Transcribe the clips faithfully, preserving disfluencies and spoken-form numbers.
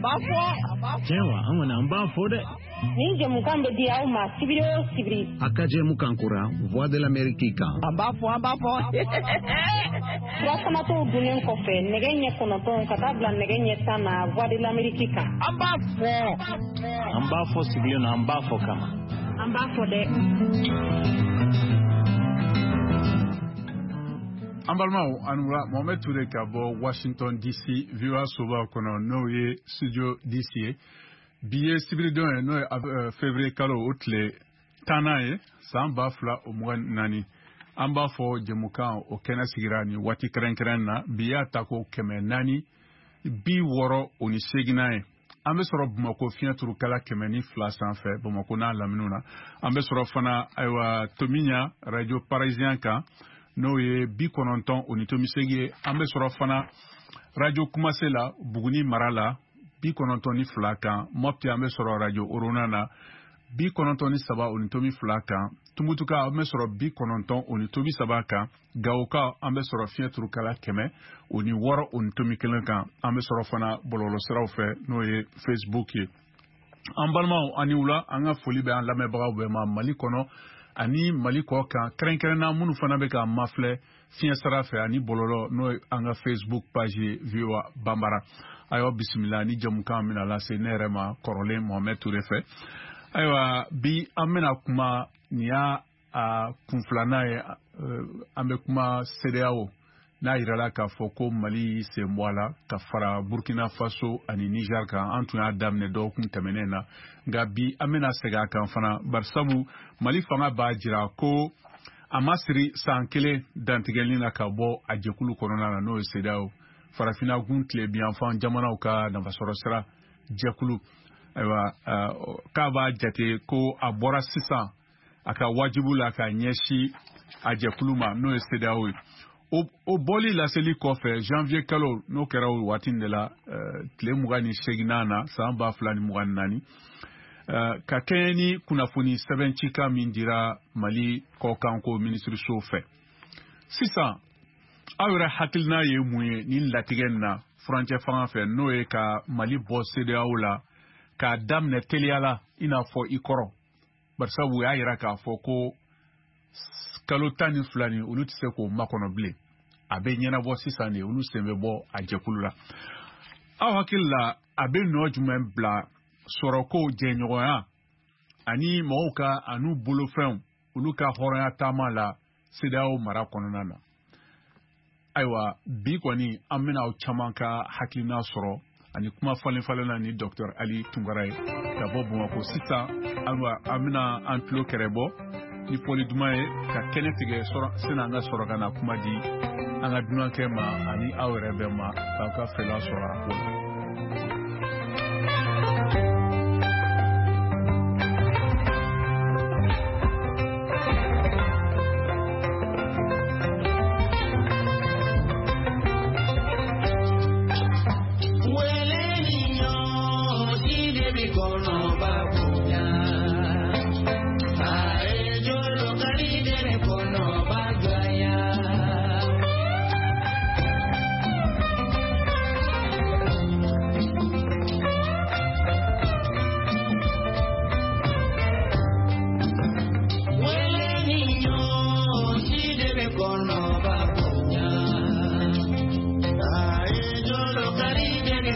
b'a fɔ. Tiɲɛ wa, an kɔni an b'a fɔ dɛ. Nin jɛmukan bɛ di aw ma sibiri o sibiri. A ka jɛmukan kura Voix de l'Amérique kan. An b'a fɔ, an b'a fɔ. Furafanatɔw dunnen kɔfɛ nɛgɛ ɲɛ kɔnɔntɔn ka taa bila nɛgɛ ɲɛ tan na Voix de l'Amérique kan. An b'a fɔ. An b'a fɔ sigilen na, an b'a fɔ kama. An b'a fɔ dɛ. An balimaw, an wula. Mohamed Toure ka bɔ Washington D C, V O A soba kɔnɔ, n'o ye studio D C ye. Bi ye sibiridon ye, n'o ye février kalo o tile tannan ye, san ba fila o mugan naani. An b'a fɔ jɛmukan o kɛnɛ sigira nin waati kɛrɛnkɛrɛn na. Bi y'a ta ko kɛmɛ naani bi wɔɔrɔ o ni seeginnan ye. An bɛ sɔrɔ Bamako fiɲɛ turukala kɛmɛ ni fila sanfɛ, Bamako n'a laminiw na. An bɛ sɔrɔ fana, ayiwa, Tomiɲa Radio Parisien kan, n'o ye bi kɔnɔntɔn o ni tomi seegin ye. An bɛ sɔrɔ fana Radio Kumase la, Buguni mara la, bi kɔnɔntɔn ni fila kan. Mɔpti, an bɛ sɔrɔ Radio Orona na, bi kɔnɔntɔn ni saba o ni tomi fila kan. Tumutuka, an bɛ sɔrɔ bi kɔnɔntɔn o ni tomi saba kan. Gawoka, an bɛ sɔrɔ fiɲɛ turukala kɛmɛ o ni wɔɔrɔ o ni tomi kelen kan. An bɛ sɔrɔ fana bɔlɔlɔsiraw fɛ, n'o ye Facebook ye. An balimaw, ani wula. An ka foli bɛ an lamɛnbagaw bɛɛ ma Mali kɔnɔ ani Mali kɔ kan, kɛrɛnkɛrɛnna minnu fana bɛ k'an mafilɛ fiɲɛ sira fɛ ani bɔlɔlɔ, n'o ye an ka Facebook page ye, V O A Banbara. Ayiwa, bisimila ni jamukan bɛna lase ne yɛrɛ ma kɔrɔlen Mohamed Toure fɛ. Ayiwa, bi an bɛna kuma, nin y'a a kun filanan ye, an bɛ kuma CEDEAO n'a yirala k'a fɔ ko Mali y'i sen bɔ a la ka fara Burkina Faso ani Niger kan. An tun y'a daminɛ dɔgɔkun tɛmɛnen na, nka bi an bɛna segin a kan fana, barisabu Mali fanga b'a jira ko a ma siri san kelen dantigɛli na ka bɔ a jɛkulu kɔnɔna na, n'o ye CEDEAO, farafinna gun tilebinyanfan jamanaw ka nafasɔrɔ sira jɛkulu. Ayiwa, k'a b'a jate ko a bɔra sisan a ka wajibu la ka ɲɛsin a jɛkulu ma, n'o ye CEDEAO ye. O bɔli laseli kɔfɛ, janvier kalo, n'o kɛra o waati de la, tile mugan ni seeginnan na, san ba fila ni mugan ni naani, ka kɛɲɛ ni kunnafoni sɛbɛn cikan min dira Mali kɔkanko minisiriso fɛ. Sisan, aw yɛrɛ hakilina ye mun ye nin latigɛ nin na furancɛ fanga fɛ, n'o ye ka Mali bɔ CEDEAO la k'a daminɛ teliya la i n'a fɔ i kɔrɔ, barisabu u y'a yira k'a fɔ ko kalo tan ni fila nin, olu tɛ se k'o makɔnɔ bilen, a bɛ ɲɛnabɔ sisan de, olu sen bɛ bɔ a jɛkulu la? Aw hakili la, a bɛ nɔ jumɛn bila sɔrɔko jɛɲɔgɔnya ani mɔgɔw ka an'u bolofɛnw, olu ka hɔrɔnya taama la CEDEAO mara kɔnɔna na? Ayiwa, bi kɔni an bɛna aw caman ka hakilina sɔrɔ ani kuma falen falenna ni Docteur Ali Tunkara ye ka bɔ Bamakɔ. Sisan, ayiwa, an bɛna an tulo kɛrɛ bɔ ni fɔli duman ye ka kɛnɛ tigɛ sani an ka sɔrɔ ka na kuma di an ka dunankɛ ma ani aw yɛrɛ bɛɛ ma k'aw ka fɛla sɔrɔ a ko la.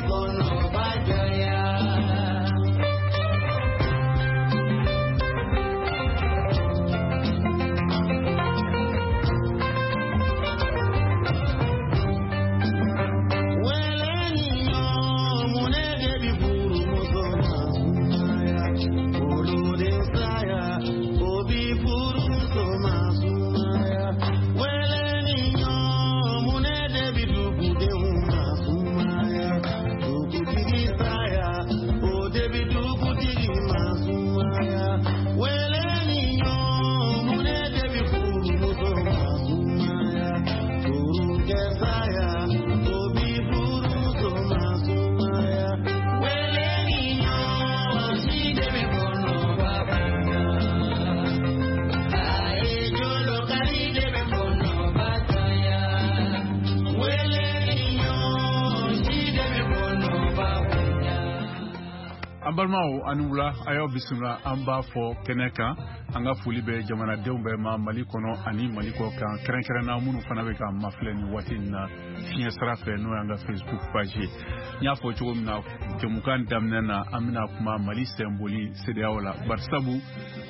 Kɔnɔ ba jɔya. Balimaw, ani wula, a y'aw bisimila. An b'a fɔ kɛnɛ kan, an ka foli bɛ jamanadenw bɛɛ ma Mali kɔnɔ ani Mali kɔ kan, kɛrɛnkɛrɛnna minnu fana bɛ k'an mafilɛ nin waati in na fiɲɛ sira fɛ, n'o y'an ka Facebook page ye. N y'a fɔ cogo min na jɛmukan daminɛ na, an bɛna kuma Mali sɛnboli CEDEAO la, barisabu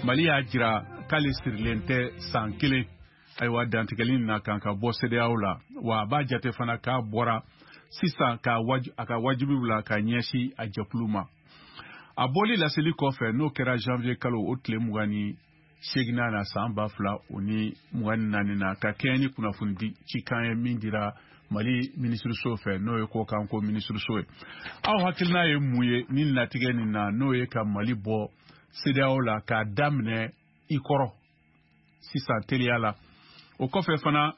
Mali y'a jira k'ale sirilen tɛ san kelen ayiwa dantigɛli na kan ka bɔ CEDEAO la, wa a b'a jate fana k'a bɔra sisan k'a a ka wajibiw la ka ɲɛsin a jɛkulu ma. A bɔli laseli kɔfɛ, n'o kɛra janvier kalo o tile mugan ni seeginnan na san ba fila o ni mugan ni naani na, ka kɛɲɛ ni kunnafoni di cikan ye min dira Mali minisiriso fɛ, n'o ye kɔkanko minisiriso ye. Aw hakilina ye mun ye ni latigɛ nin na, n'o ye ka Mali bɔ CEDEAO la k'a daminɛ i kɔrɔ sisan teliya la? O kɔfɛ fana,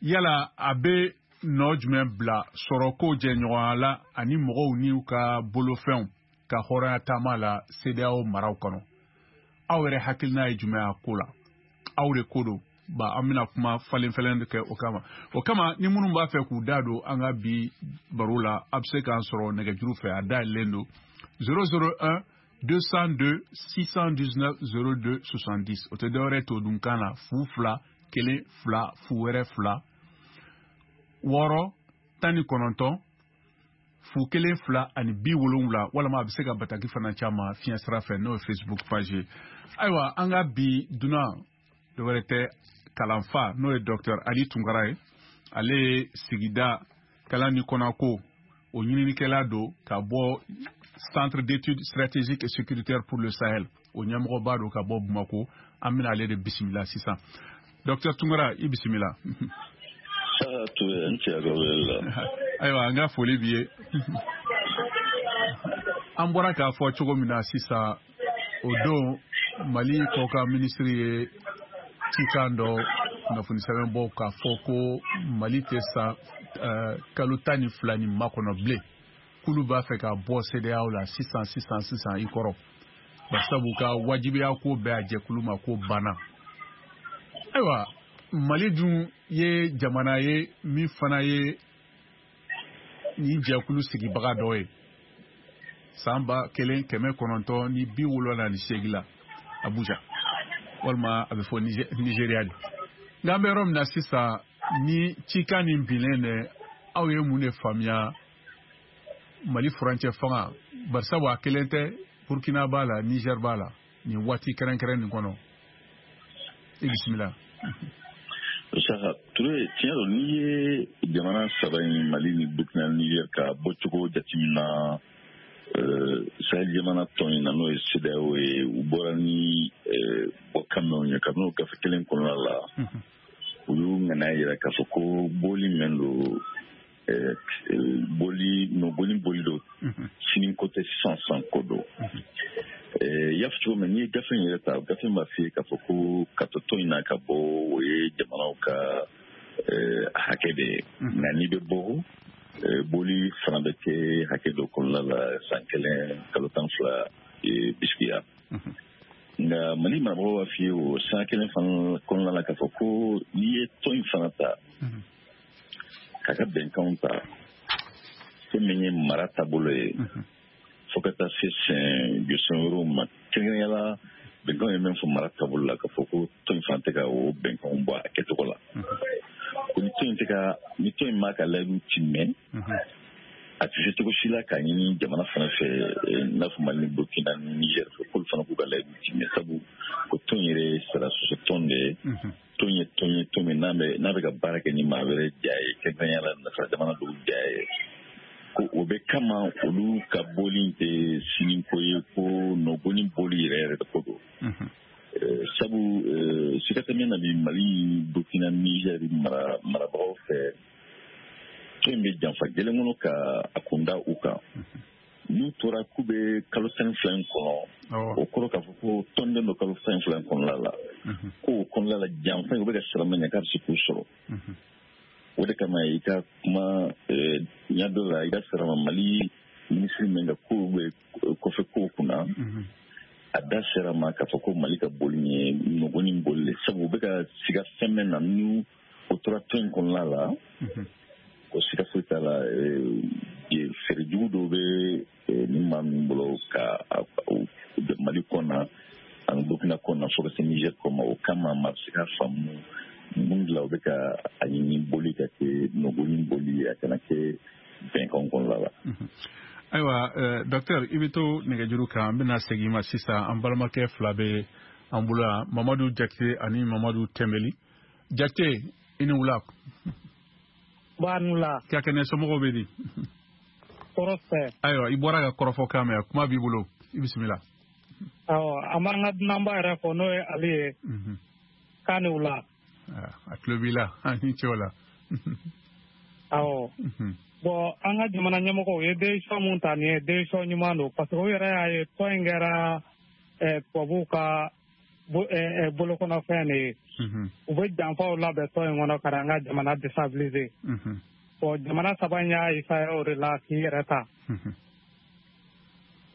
yala a bɛ nɔ jumɛn bila sɔrɔko jɛɲɔgɔnya la ani mɔgɔw n'u ka bolofɛnw ka hɔrɔnya taama la CEDEAO maraw kɔnɔ? Aw yɛrɛ hakilina ye jumɛn a ko la? Aw de ko don ba, an bɛna kuma falen falen kɛ o kama. O kama, ni minnu b'a fɛ k'u da don an ka bi baro la, a bɛ se k'an sɔrɔ nɛgɛjuru fɛ, a dayɛlɛlen don zéro zéro un deux cent deux six cent dix-neuf zéro deux soixante-dix. O tɛ dɔwɛrɛ to dunkan na, fu fila kelen fila fu wɛrɛ fila wɔɔrɔ tan ni kɔnɔntɔn fu kelen fila ani bi wolonwula, walima a bɛ se ka bataki fana caman fiɲɛ sira fɛ, n'o ye Facebook page ye. Ayiwa, an ka bi dunan dɔwɛrɛ tɛ kalanfa, n'o ye docteur Ali Tunkara ye. Ale ye sigida kalan ni kɔnɔko o ɲininikɛla don ka bɔ Centre d'études stratégiques et sécuritaires pour le Sahel, o ɲɛmɔgɔba don ka bɔ Bamako. An bɛna ale de bisimila sisan. Docteur Tunkara, i bisimila. Ayiwa, an ka foli b'i ye. An bɔra k'a fɔ cogo min na sisan, o don Mali kɔkan minisiri ye cikan dɔ kunnafoni sɛbɛn bɔ k'a fɔ ko Mali tɛ san kalo tan ni fila ni makɔnɔ bilen, k'olu b'a fɛ ka bɔ CEDEAO la sisan sisan sisan i kɔrɔ, barisabu ka wajibiya ko bɛɛ a jɛkulu ma ko banna. Ayiwa, Mali dun ye jamana ye min fana ye nin jɛkulu sigibaga dɔ ye san ba kelen kɛmɛ kɔnɔntɔn ni bi wolonwula ni seegin la Abuja, walima a bɛ fɔ Nigéria de. Nka an bɛ yɔrɔ min na sisan, ni cikan nin binnen dɛ, aw ye mun de faamuya Mali furancɛ fanga, barisabu a kelen tɛ, Burkina b'a la, Niger b'a la nin waati kɛrɛnkɛrɛn nin kɔnɔ? I bisimila. Saka Ture, tiɲɛ don, n'i ye jamana saba in, Mali ni Burkina ni Niger, ka bɔcogo jateminɛ Sahel jamana tɔn in na, n'o ye CEDEAO ye, u bɔra ni bɔkan minnu ye kabini o gafe kelen kɔnɔna la, u y'u ŋaniya yira k'a fɔ ko bɔli min don, bɔli nɔgɔni bɔli don, sini ko tɛ, sisan san ko don. I y'a fɔ cogo min, n'i ye gafe in yɛrɛ ta, gafe in b'a f'i ye k'a fɔ ko ka to tɔn in na ka bɔ, o ye jamanaw ka hakɛ de ye, nka n'i bɛ bɔ, bɔli fana bɛ kɛ hakɛ dɔ kɔnɔna la, san kelen kalo tan fila bisikiya. Nka Mali marabagaw b'a f'i ye o san kelen fana kɔnɔna la k'a fɔ ko n'i ye tɔn in fana ta k'a ka bɛnkanw ta, fɛn min ye mara taabolo ye, fo ka taa se sɛn jɔsen wɛrɛw ma, kɛrɛnkɛrɛnnenya la bɛnkanw ye min fɔ mara taabolo la, k'a fɔ ko tɔn in fana tɛ ka o bɛnkanw bɔ a kɛcogo la, ko ni tɔn in tɛ ka ni tɔn in m'a ka layidu tiimɛ, a tɛ se cogo si la k'a ɲini jamana fana fɛ, i n'a fɔ Mali ni Burkina ni Niger fɛ, k'olu fana k'u ka layidu tiimɛ, sabu ko tɔn yɛrɛ ye sara sɔsɔ tɔn de ye. Tɔn ye tɔn ye tɔn min n'a bɛ n'a bɛ ka baara kɛ ni maa wɛrɛ ja ye, kɛrɛnkɛrɛnnenya la nasara jamana dɔw ja ye, ko o bɛ kama olu ka bɔli tɛ sini ko ye, ko nɔgɔni bɔli yɛrɛ yɛrɛ de ko don. Sabu siga tɛ min na bi, Mali, Burkina, Niger mara marabagaw fɛ, tɔn in bɛ janfa gɛlɛn kɔnɔ ka a kun da u kan. N'u tora k'u bɛ kalo tan ni fila in kɔnɔ, o kɔrɔ k'a fɔ ko tɔnden don kalo tan ni fila in kɔnɔna la, ko o kɔnɔna la janfa in u bɛ ka siran min ɲɛ k'a bɛ se k'u sɔrɔ. O de kama i ka kuma ɲɛ dɔ la, i ka sara ma Mali minisiri min ka kow bɛ kɔfɛ kow kunna, a da sera ma k'a fɔ ko Mali ka boli ye nɔgɔni boli de, sabu u bɛ ka siga fɛn min na, n'u o tora tɔn in kɔnɔna la, ko siga foyi t'a la, feere jugu dɔw bɛ ni maa min bolo CEDEAO ka Mali kɔnɔ ani Burkina kɔnɔ fo ka se Niger kɔma. O kama maa bɛ se ka faamu mun de la u bɛ ka a ɲini boli ka kɛ nɔgɔnin boli, a kana kɛ bɛnkan kɔnɔna la. Ayiwa, docteur, i bɛ to nɛgɛjuru kan, an bɛna segin i ma sisan. An balimakɛ fila bɛ an bolo yan, Mamadu Jakite ani Mamadu Tɛnbeli. Jakite, i ni wula. Ba ni wula. Ka kɛnɛ, somɔgɔw bɛ di? Tɔɔrɔ tɛ. Ayiwa, i bɔra ka kɔrɔfɔ kan mɛn, kuma b'i bolo, i bisimila. Awɔ, an b'an ka dunanba yɛrɛ fɔ, n'o ye Ale ye. K'a ni wula. A tulo b'i la, an ni ce o la. Awɔ. Bon, an ka jamana ɲɛmɔgɔw ye décision mun ta nin ye, décision ɲuman don, parce que u yɛrɛ y'a ye tɔn in kɛra tubabuw ka bolokɔnɔfɛn de ye. U bɛ janfaw labɛn tɔn in kɔnɔ ka na an ka jamana déstabiliser. Bon, jamana saba in y'a essayer o de la k'i yɛrɛ ta.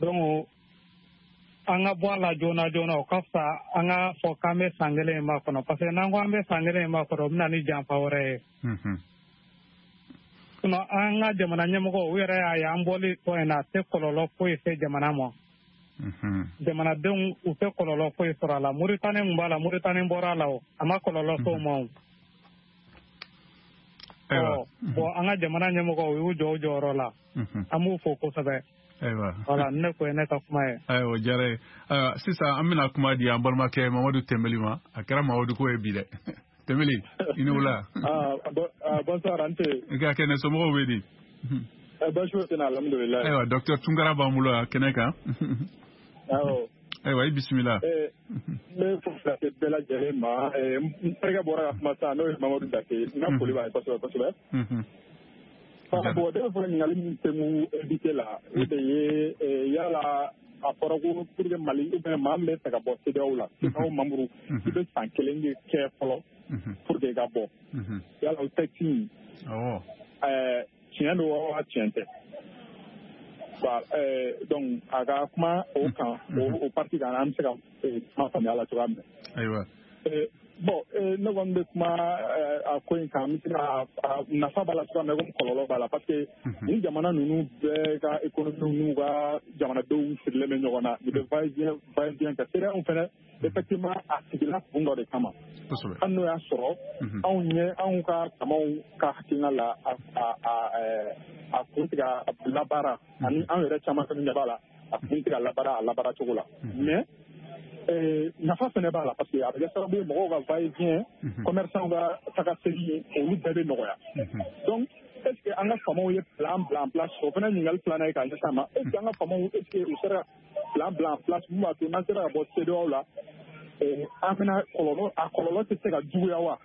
Donc an ka bɔ a la joona joona, o ka fisa an ka fɔ k'an bɛ san kelen in makɔnɔ, parce que n'an ko an bɛ san kelen in makɔnɔ, o bɛ na ni janfa wɛrɛ ye. Sinon an ka jamana ɲɛmɔgɔw, u yɛrɛ y'a ye an bɔli tɔn in na, a tɛ kɔlɔlɔ foyi se jamana ma. Jamanadenw u tɛ kɔlɔlɔ foyi sɔrɔ a la. Moritani kun b'a la, Moritani bɔra a la, o a ma kɔlɔlɔ s'o ma o. Ɔ bon, an ka jamana ɲɛmɔgɔw u y'u jɔ u jɔyɔrɔ la, an b'u fo kosɛbɛ. Ayiwa. Voilà, ne ko ye ne ka kuma ye. Ayiwa, o diyara ye. Ayiwa, sisan an bɛna kuma di an balimakɛ Mamadu Tɛnbeli ma. A kɛra Mamadu ko ye bi dɛ. Tɛnbeli, i ni wula. Ah, bonsoir, Ante. I ka kɛnɛ, somɔgɔw bɛ di? Baasi foyi tɛ n na, alhamdulilayi. Ayiwa, docteur Tunkara b'an bolo yan kɛnɛ kan. Awɔ. Ayiwa, i bisimila. N bɛ foli lase bɛɛ lajɛlen ma. N terikɛ bɔra ka kuma sisan, n'o ye Mamadu Dake. N ka foli b'a ye kosɛbɛ kosɛbɛ. Bon, ne bɛ fɛ ka ɲininkali min tɛnku invité la, o de ye yala a fɔra ko pour que Mali ou bien maa min bɛ fɛ ka bɔ CEDEAO la, CEDEAO membre, i bɛ san kelen de kɛ fɔlɔ pour que i ka bɔ. Yala o texte in, tiɲɛ don wa tiɲɛ tɛ? Donc a ka kuma o kan, o partie kan, an bɛ se ka kuma faamuya la cogoya min na. Ayiwa. Bon, ne kɔni bɛ kuma a ko in kan, n bɛ se ka nafa b'a la cogoya min na, komi kɔlɔlɔ b'a la, parce que ni jamana ninnu bɛɛ ka économie n'u ka jamanadenw sirilen bɛ ɲɔgɔn na, u bɛ va-et-vient va-et-vient kɛ. CEDEAO fɛnɛ, effectivement, a sigila kun dɔ de kama. Hali n'o y'a sɔrɔ anw ɲɛ anw ka tamaw ka hakilina la, a a a kun tɛ ka labaara, ani anw yɛrɛ caman fɛnɛ ɲɛ b'a la, a kun tɛ ka labaara a labaara cogo la. Mais nafa fɛnɛ b'a la, parce que a bɛ kɛ sababu ye mɔgɔw ka va-et-vient, commerçants ka taga segin, olu bɛɛ bɛ nɔgɔya. Donc est ce que an ka faamaw ye plan bila en place? O fana ɲininkali filanan ye k'a ɲɛsin a ma. Est ce que an ka faamaw, est ce que u sera plan bila en place mun b'a to n'an sera ka bɔ CEDEAO la, an bɛna kɔlɔlɔ, a kɔlɔlɔ tɛ se ka juguya wa?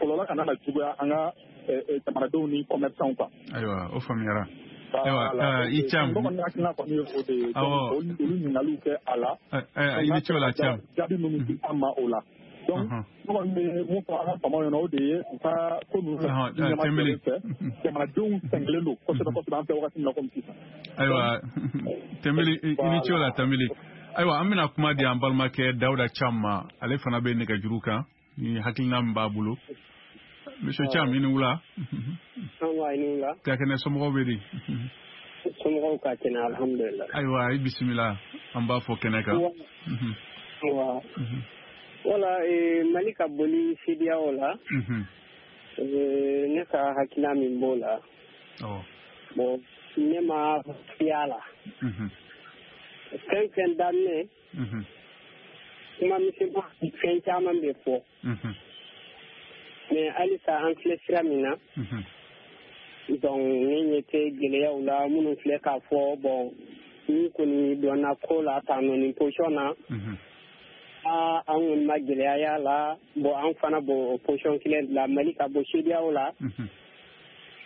Kɔlɔlɔ kana na juguya an ka jamanadenw ni commerçants kan. Ayiwa, o faamuyara. Ayiwa, i Cam. Ne kɔni hakilina kɔni ye o de ye. Olu ɲininkaliw kɛ a la. I ni ce o la, Cam. Jaabi minnu di an ma o la. Donc ne kɔni bɛ mun fɔ an ka faamaw ɲɛna, o de ye u ka ko ninnu ɲɛmajɔlen fɛ. Jamanadenw sɛgɛnlen don kosɛbɛ kosɛbɛ an fɛ wagati min na komi sisan. Ayiwa, Tɛnbeli, i ni ce o la, Tɛnbeli. Ayiwa, an bɛna kuma di an balimakɛ Dawuda Cam ma, ale fana bɛ nɛgɛjuru kan ni hakilina min b'a bolo. Monsieur Cham, i ni wula. Nba, i ni wula. Ka kɛnɛ, somɔgɔw bɛ di? Somɔgɔw ka kɛnɛ, alhamdulilah. Ayiwa, i bisimila, an b'a fɔ kɛnɛ kan. Wa wala, Mali ka boli CEDEAO la, ne ka hakilina min b'o la, bon, ne ma fiya la. Fɛn fɛn daminɛ, kuma misɛnman fɛn caman bɛ fɔ. Mais halisa an filɛ sira min na, donc ne ɲɛ tɛ gɛlɛyaw la minnu filɛ k'a fɔ. Bon, ni kɔni donna ko la tan nɔ nin position na, aa, an kɔni ma gɛlɛya y'a la. Bon, an fana b'o position kelen de la, Mali ka bɔ CEDEAO la,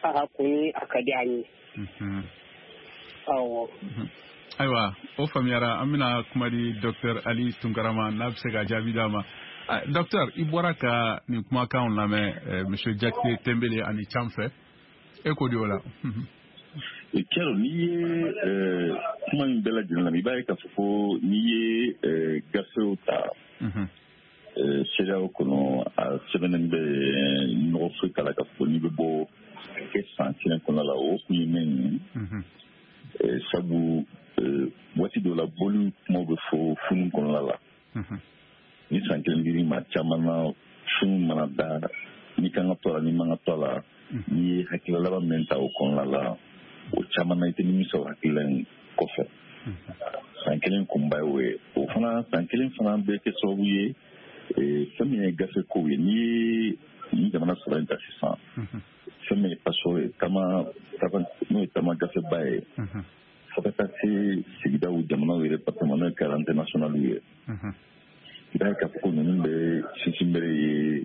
a kɔni a ka di an ye. Awɔ. Ayiwa, o faamuyara. An bɛna kuma di docteur Ali Tunkara ma, n'a bɛ se ka jaabi d'a ma. Docteur, i bɔra ka nin kumakanw lamɛn monsieur Jakite Tɛnbele ani Cam fɛ, e ko di o la? Kɛrɔ, n'i ye kuma in bɛɛ lajɛlen lamɛn, i b'a ye k'a fɔ ko n'i ye gafew ta CEDEAO kɔnɔ, a sɛbɛnnen bɛ, nɔgɔ foyi t'a la k'a fɔ n'i bɛ bɔ kɛ san kelen kɔnɔ la. O kun ye min ye, sabu waati dɔ funu kɔnɔna la. Ni san kelen dir'i ma caman na, funu mana da, n'i kan ka to a la, n'i man ka to a la, n'i ye hakilila laban min ta o kɔnɔna la, o caman na i tɛ nimisa o hakilila in kɔfɛ. San kelen kunba ye o ye. O fana san kelen fana bɛ kɛ sababu ye fɛn min ye gafe kow ye. N'i ye nin jamana saba in ta sisan, fɛn min ye passeport ye, taama n'o ye taama gafeba ye, fo ka taa se sigidaw jamanaw yɛrɛ département n'o ye carte internationale ye, i b'a ye k'a fɔ ko ninnu bɛ sinsinbere ye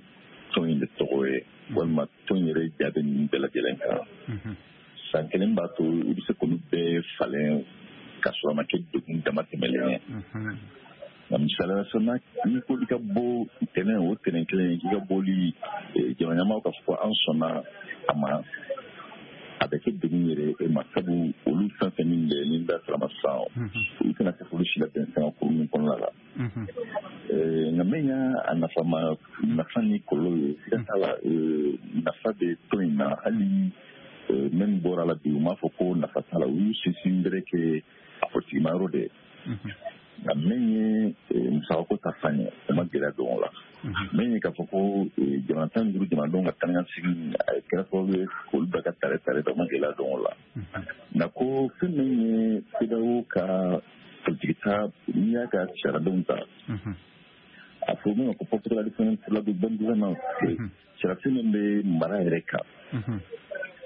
tɔn in de tɔgɔ ye, walima tɔn yɛrɛ ja bɛ ninnu bɛɛ lajɛlen kan. San kelen b'a to i bɛ se k'olu bɛɛ falen k'a sɔrɔ a ma kɛ degun dama tɛmɛlen ye. Nka misaliya la, n'i ko i ka bɔ tɛnɛn o tɛnɛn kelen k'i ka bɔli jamana ɲɛmaaw k'a fɔ ko an sɔnna a ma, a bɛ kɛ degun yɛrɛ e ma, sabu olu fɛn fɛn min bɛ ni da sera ma sisan, olu tɛna se k'olu si labɛn sanga kuru min kɔnɔna la. Nka min y'a nafa ma nafa ni kɔlɔlɔ ye, siga t'a la, nafa bɛ tɔn in na. Hali min bɔra la bi, u m'a fɔ ko nafa t'a la, u y'u sinsin bere kɛ a politigima yɔrɔ de ye. Nka min ye musakako ta fan ye, o ma gɛlɛya don o la. Min ye k'a fɔ ko jamana tan ni duuru jamanadenw ka taa ni ka segin a kɛra sababu ye k'olu bɛɛ ka tare tare ta, o ma gɛlɛya don o la. Nka ko fɛn min ye CEDEAO ka politiki ta, n'i y'a ka sariyadenw ta, a fɔ min ma ko protocole additionnel pour la bonne gouvernance, sariyasen min bɛ mara yɛrɛ kan,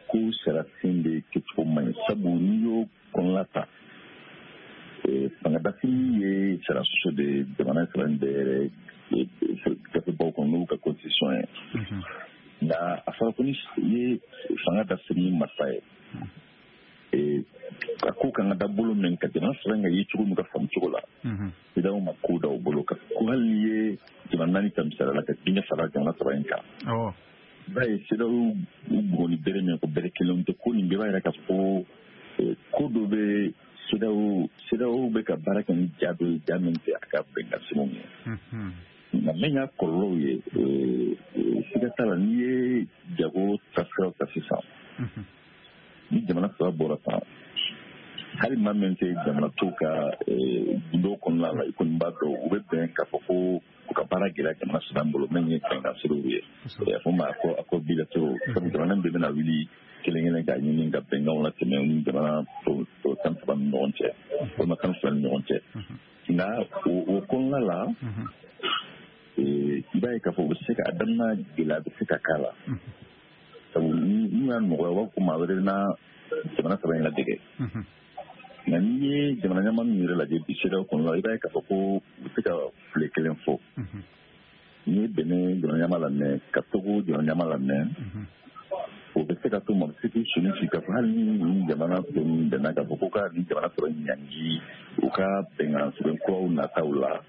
ko sariyasen de kɛcogo man ɲi, sabu n'i y'o kɔnɔna ta, fangadafili ye sariya sɔsɔ de jamana saba in bɛɛ yɛrɛ gafebaw kɔnɔ n'u ka constitution ye. Nka a fɔra ko ni ye fanga dafili ni marifa ye, a ko kan ka da bolo min ka jamana saba in ka ye cogo min ka faamu cogo la, CEDEAO ma ko da o bolo kan. Ko hali n'i ye jamana naani ta misaliya la ka diinɛ fara jamana saba in kan, i b'a ye CEDEAO u bugɔ ni bere min ko bere kelenw tɛ, ko nin bɛɛ b'a yira k'a fɔ ko ko dɔ bɛ CEDEAO CEDEAO bɛ ka baara kɛ ni ja dɔ ye, ja min tɛ a ka bɛnkan sɛbɛnw ye. Nka min y'a kɔlɔlɔw ye, siga t'a la, n'i ye jago taasiraw ta sisan, ni jamana saba bɔra tan, hali maa min tɛ jamana tɔw ka gundo kɔnɔna la, i kɔni b'a dɔn u bɛ bɛn k'a fɔ ko u ka baara gɛlɛya jamana saba bolo min ye bɛnkan sɛbɛnw ye. A fɔ ma ko accord bilatéraux, sabu jamana bɛɛ bɛna wuli kelen kelen k'a ɲini ka bɛnkanw latɛmɛ ni jamana tɔ tan saba ni ɲɔgɔn cɛ, walima tan fila ni ɲɔgɔn cɛ. Nka o kɔnɔna la, i b'a ye k'a fɔ u bɛ se ka a daminɛ gɛlɛya bɛ se ka k'a la, sabu n'u y'a nɔgɔya u b'a fɔ ko maa wɛrɛ bɛna jamana saba in ladege. Nka n'i ye jamana ɲɛmaa min yɛrɛ lajɛ bi CEDEAO kɔnɔna la, i b'a ye k'a fɔ ko u bɛ se ka file kelen fɔ. N'i ye Benin jamana ɲɛmaa lamɛn, ka Togo jamana ɲɛmaa lamɛn, o bɛ se ka to ma se k'i soni sigi k'a fɔ hali ni nin jamana tɔ ninnu bɛnna k'a fɔ ko ka nin jamana sɔrɔ ɲangi u ka bɛnkan sɛbɛn kuraw nataw la,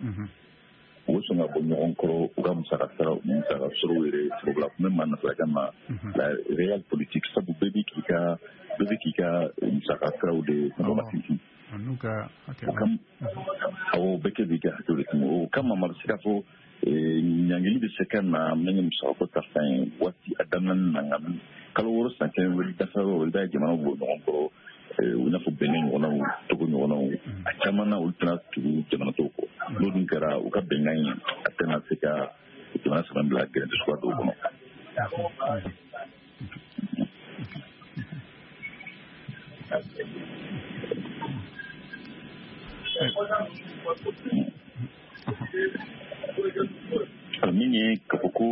u bɛ sɔn ka bɔ ɲɔgɔn kɔrɔ u ka musaka sara musaka sɔrɔw yɛrɛ sababu la. Kun bɛ maa nasarakan na la réelle politique, sabu bɛɛ bɛ k'i ka bɛɛ bɛ k'i ka musaka siraw de kɔnɔma sinsin. Awɔ, bɛɛ kɛ b'i ka hakɛw de tɛmɛ. O kama ma bɛ se k'a fɔ ɲangili bɛ se ka na min ye musakako ta fan ye waati a daminɛ na, nka kalo wɔɔrɔ san kelen wɛrɛ dafa yɔrɔ, i b'a ye jamanaw bɔ ɲɔgɔn kɔrɔ, i n'a fɔ Benin ɲɔgɔnnaw, Togo ɲɔgɔnnaw, a caman na olu tɛna tugu jamana tɔw kɔ. N'o dun kɛra u ka bɛnkan in a tɛna se ka jamana saba bila gɛrɛntɛ suguya dɔw kɔnɔ. Min ye k'a fɔ ko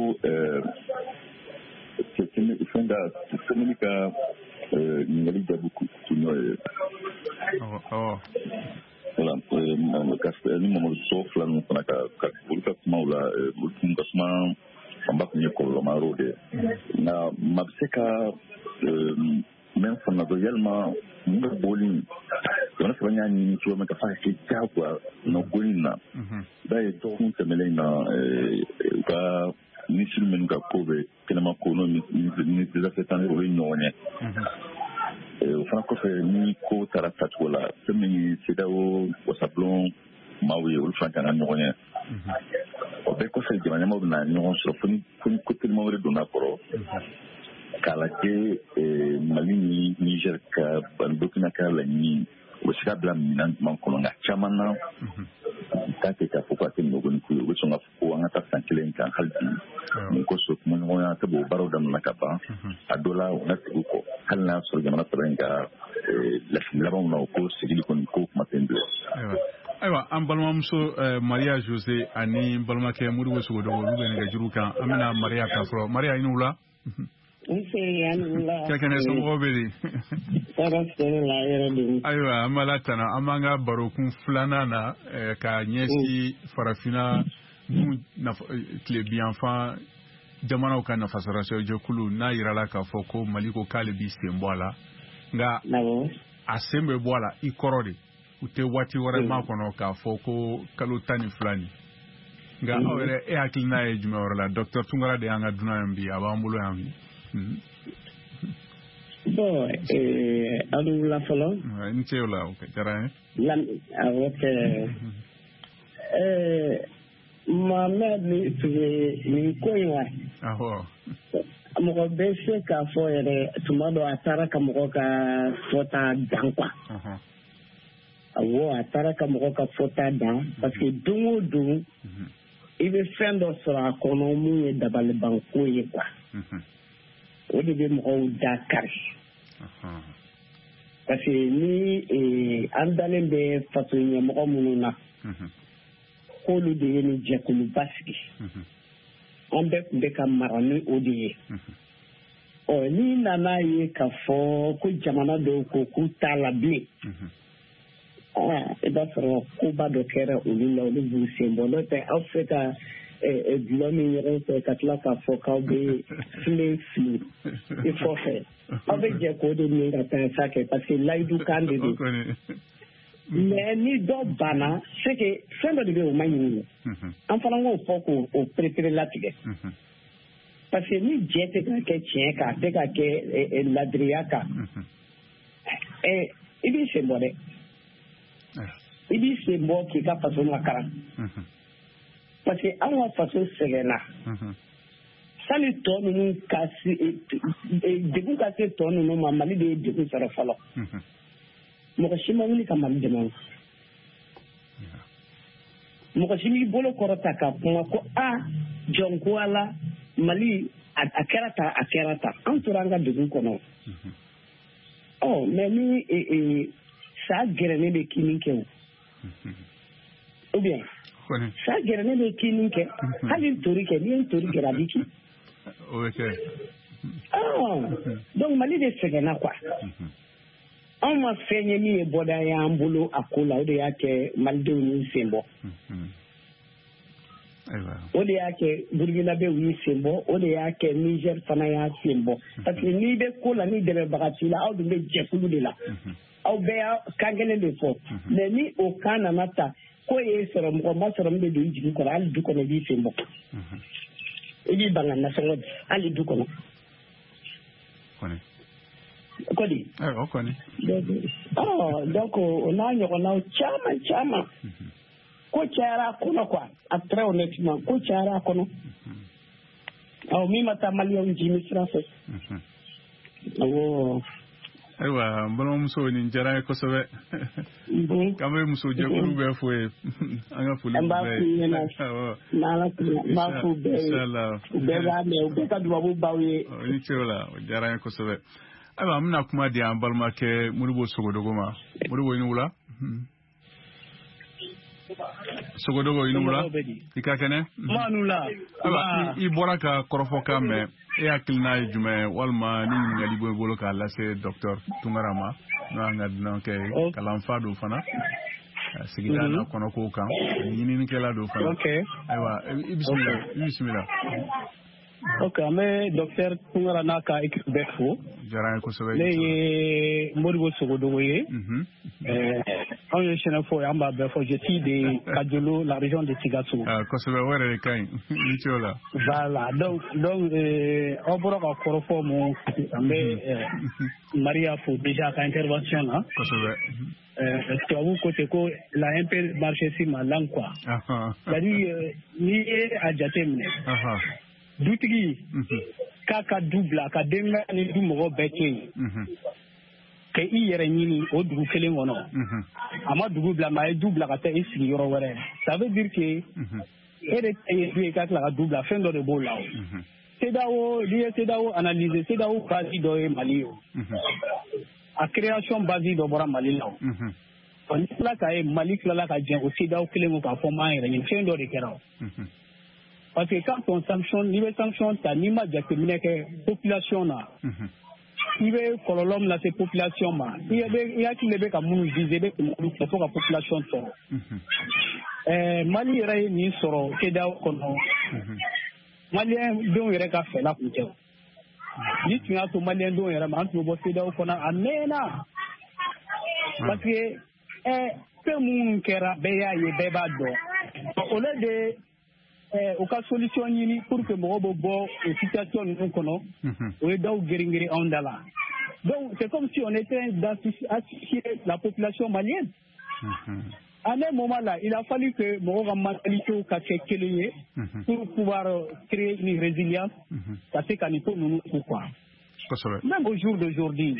fɛn ka sɛbɛnni ka ɲininkali jaabi kun n'o ye. Voilà, ni Mamadu Sɔ fila ninnu fana ka olu ka kumaw la, olu tun ka kuma fanba tun ye kɔlɔlɔma yɔrɔw de ye. Nka maa bɛ se ka mɛn fana dɔn yalima mun bɛ bɔli jamana saba y'a ɲini cogo min ka f'a ka kɛ diyagoya nɔ goni na. I b'a ye dɔgɔkun tɛmɛnen na, u ka minisiri minnu ka ko bɛ kɛnɛma ko n'o ministre des affaires étrangères, o ye ɲɔgɔn ye. O fana kɔfɛ, ni ko taara tacogo la, fɛn min ye CEDEAO wasabulon maaw ye, olu fana kan ka ɲɔgɔn ye. O bɛɛ kɔfɛ, jamana ɲɛmaaw bɛna ɲɔgɔn sɔrɔ fo ni ko teliman wɛrɛ donna kɔrɔ, k'a lajɛ Mali ni Niger ka ani Burkina ka laɲini U bɛ se ka bila minɛn jumɛn kɔnɔ? Nka caman na, u t'a kɛ k'a fɔ ko a tɛ nɔgɔn ni ko ye. U bɛ sɔn k'a fɔ ko an ka taa san kelen kan hali bi. Mun kosɔn kumaɲɔgɔnya tɛ o baaraw daminɛ ka ban, a dɔ la u na segin kɔ, hali n'a sɔrɔ jamana saba in ka lasigi labanw na, o ko segili kɔni ko kuma tɛ n bilen. Ayiwa, an balimamuso Maria Jose ani balimakɛ Modibo Sogodogo, olu bɛ nɛgɛjuru kan. An bɛna Maria ta fɔlɔ. Maria, i ni wula. Nse, a ni wula. Ka kɛnɛ, somɔgɔw bɛ di? Tɔɔrɔ tɛ ne la, yɛrɛ de. Ayiwa, an b'Ala tanu. An b'an ka barokun filanan na ka ɲɛsin farafinna gun tilebinyanfan jamanaw ka nafasɔrɔsira jɛkulu n'a yirala k'a fɔ ko Mali ko k'ale b'i sen bɔ a la, nka a sen bɛ bɔ a la i kɔrɔ de, u tɛ waati wɛrɛ ma kɔnɔ k'a fɔ ko kalo tan ni fila nin. Nka aw yɛrɛ, e hakilina ye jumɛn yɔrɔ la? Docteur Tunkara de y'an ka dunan yan bi, a b'an bolo yan bi. Bon, aw ni wula fɔlɔ. N ce o la, o diyara n ye. Awɔ kɛ. Mohamed ni Ture, nin ko in wa. Awɔ. Mɔgɔ bɛ se k'a fɔ yɛrɛ, tuma dɔ a taara ka mɔgɔ ka fɔta dan quoi. Awɔ, a taara ka mɔgɔ ka fɔta dan, parce que don o don i bɛ fɛn dɔ sɔrɔ a kɔnɔ mun ye dabalibanko ye quoi. O de bɛ mɔgɔw da kari. Parce que ni an dalen bɛ faso ɲɛmɔgɔ minnu na, k'olu de ye nin jɛkuluba sigi, an bɛɛ tun bɛ ka mara ni o de ye. Ɔ, n'i nana ye k'a fɔ ko jamana dɔw ko k'u t'a la bilen, i b'a sɔrɔ koba dɔ kɛra olu la, olu b'u sen bɔ. N'o tɛ, aw bɛ se ka dulɔ min ɲɔgɔn fɛ ka tila k'a fɔ k'aw bɛ filen fili i kɔfɛ, aw bɛ jɛ k'o de min ka taa sa kɛ, parce que layidu kan de don. Mais ni dɔ banna, c'est que fɛn dɔ de bɛ yen, o ma ɲini, an fana k'o fɔ k'o perepere latigɛ, parce que ni jɛ tɛ ka kɛ tiɲɛ kan, a tɛ ka kɛ ladiriya kan, i b'i sen bɔ dɛ. I b'i sen bɔ k'i ka faso makaran, parce que anw ka faso sɛgɛnna. Sani tɔ ninnu ka se, degun ka se tɔ ninnu ma, Mali de ye degun sɔrɔ fɔlɔ. Mɔgɔ si ma wuli ka Mali dɛmɛ. Mɔgɔ si m'i bolo kɔrɔta ka kuma ko a jɔn ko ala Mali a kɛra tan, a kɛra tan. An tora an ka degun kɔnɔ. Ɔ, mais ni sa gɛrɛnen bɛ kini kɛ o, ou bien sa gɛrɛnen bɛ kini kɛ, hali ntori kɛ, n'i ye ntori gɛrɛ, a b'i kin. O bɛ kɛ. Donc Mali de sɛgɛnna quoi. Anw ma fɛn ye min ye bɔda y'an bolo a ko la, o de y'a kɛ malidenw y'u sen bɔ. O de y'a kɛ Burukinabew y'u sen bɔ, o de y'a kɛ Niger fana y'a sen bɔ. Parce que n'i bɛ ko la, ni dɛmɛbaga t'i la, aw dun bɛ jɛkulu de la. Aw bɛɛ y'a kan kelen de fɔ. Mais ni o kan nana ta, ko ye sɔrɔ mɔgɔ ma sɔrɔ min bɛ don i jigi kɔrɔ, hali du kɔnɔ i b'i sen bɔ. I b'i ban ka nasɔngɔ di hali du kɔnɔ. Kɔni. Ayiwa, kɔni. Ɔ, donc o n'a ɲɔgɔnnaw caman caman. Ko cayara a kɔnɔ quoi, a très honnêtement, ko cayara a kɔnɔ. Awɔ, min ma taa maliyɛnw jimi sira fɛ. Awɔ. Ayiwa, n balimamuso, nin diyara n ye kosɛbɛ. K'an bɛ musojɛkulu bɛɛ fo ye. An ka foli b'u bɛɛ ye. An b'a f'u ɲɛna. N'Ala sɔnna, n b'a f'u bɛɛ ye. U bɛɛ b'a mɛn, u bɛɛ ka dubabu b'aw ye. I ni ce o la, o diyara n ye kosɛbɛ. Ayiwa, an bɛna kuma di an balimakɛ Modibo Sogodogo ma. Modibo, i ni wula. Sogodogo, i ni wula. I ka kɛnɛ? Ayiwa, i bɔra ka kɔrɔfɔkan mɛn. E hakilina ye jumɛn ye, walima ni ɲininkali b'i bolo k'a lase docteur Tunkara ma, n'o y'an ka dunankɛ ye, kalanfa don fana, sigida n'a kɔnɔkow kan, ɲininikɛla don fana. Ayiwa, i bisimila, i bisimila. Ok, an bɛ docteur Tunkara n'a ka équipe bɛɛ fo. Diyara n ye kosɛbɛ. Ne ye Modibo Sogodogo ye. Anw ye Sɛnɛfɔ ye, an b'a bɛɛ fɔ. Je suis de Kadiolo, la région de Sikasso. Kosɛbɛ, o yɛrɛ de ka ɲi. I ni ce o la. Voilà, donc donc aw bɔra ka kɔrɔfɔ mun, an bɛ Maria fo déjà a ka intervention na. Kosɛbɛ. Tubabu ko ten ko il a un peu marché sur ma langue quoi. C'est-à-dire n'i ye a jate minɛ. Dutigi k'a ka du bila ka denbaya ni du mɔgɔ bɛɛ to yen, Ka i yɛrɛ ɲini o dugu kelen kɔnɔ, a ma dugu bila, mais a ye du bila ka taa i sigi yɔrɔ wɛrɛ. Ça veut dire que e de ta ye du ye ka tila ka du bila, fɛn dɔ de b'o la. O CEDEAO, n'i ye CEDEAO analyser, CEDEAO base dɔ ye Mali ye. O a création base dɔ bɔra Mali la. O ni tila k'a ye Mali tilala ka jɛn o CEDEAO kelen kɔ k'a fɔ n b'an yɛrɛ ɲini, fɛn dɔ de kɛra. O parce que quand on sanctionne, n'i bɛ sanction ta, n'i ma jateminɛ kɛ population na, i bɛ kɔlɔlɔ min lase population ma, i bɛ i hakili bɛ ka minnu viser, i bɛ tɛmɛ olu fɛ fo ka population tɔɔrɔ. Ɛɛ Mali yɛrɛ ye nin sɔrɔ CEDEAO kɔnɔ, maliyɛn denw yɛrɛ ka fɛla kun tɛ. O ni tun y'a to maliyɛn denw yɛrɛ ma, an tun bɛ bɔ CEDEAO kɔnɔ a mɛnna, parce que ɛɛ fɛn minnu kɛra, bɛɛ y'a ye, bɛɛ b'a dɔn. Au lieu de u ka solution ɲini pour que mɔgɔw bɛ bɔ o situation ninnu kɔnɔ, o ye daw geren-geren anw da la. Donc c'est comme si on était d'associer la population malienne. À un moment là, il a fallu que mɔgɔw ka mentalité ka kɛ kelen ye pour pouvoir créer une résilience ka se ka nin ko ninnu ku quoi. Même au jour d'aujourd'hui,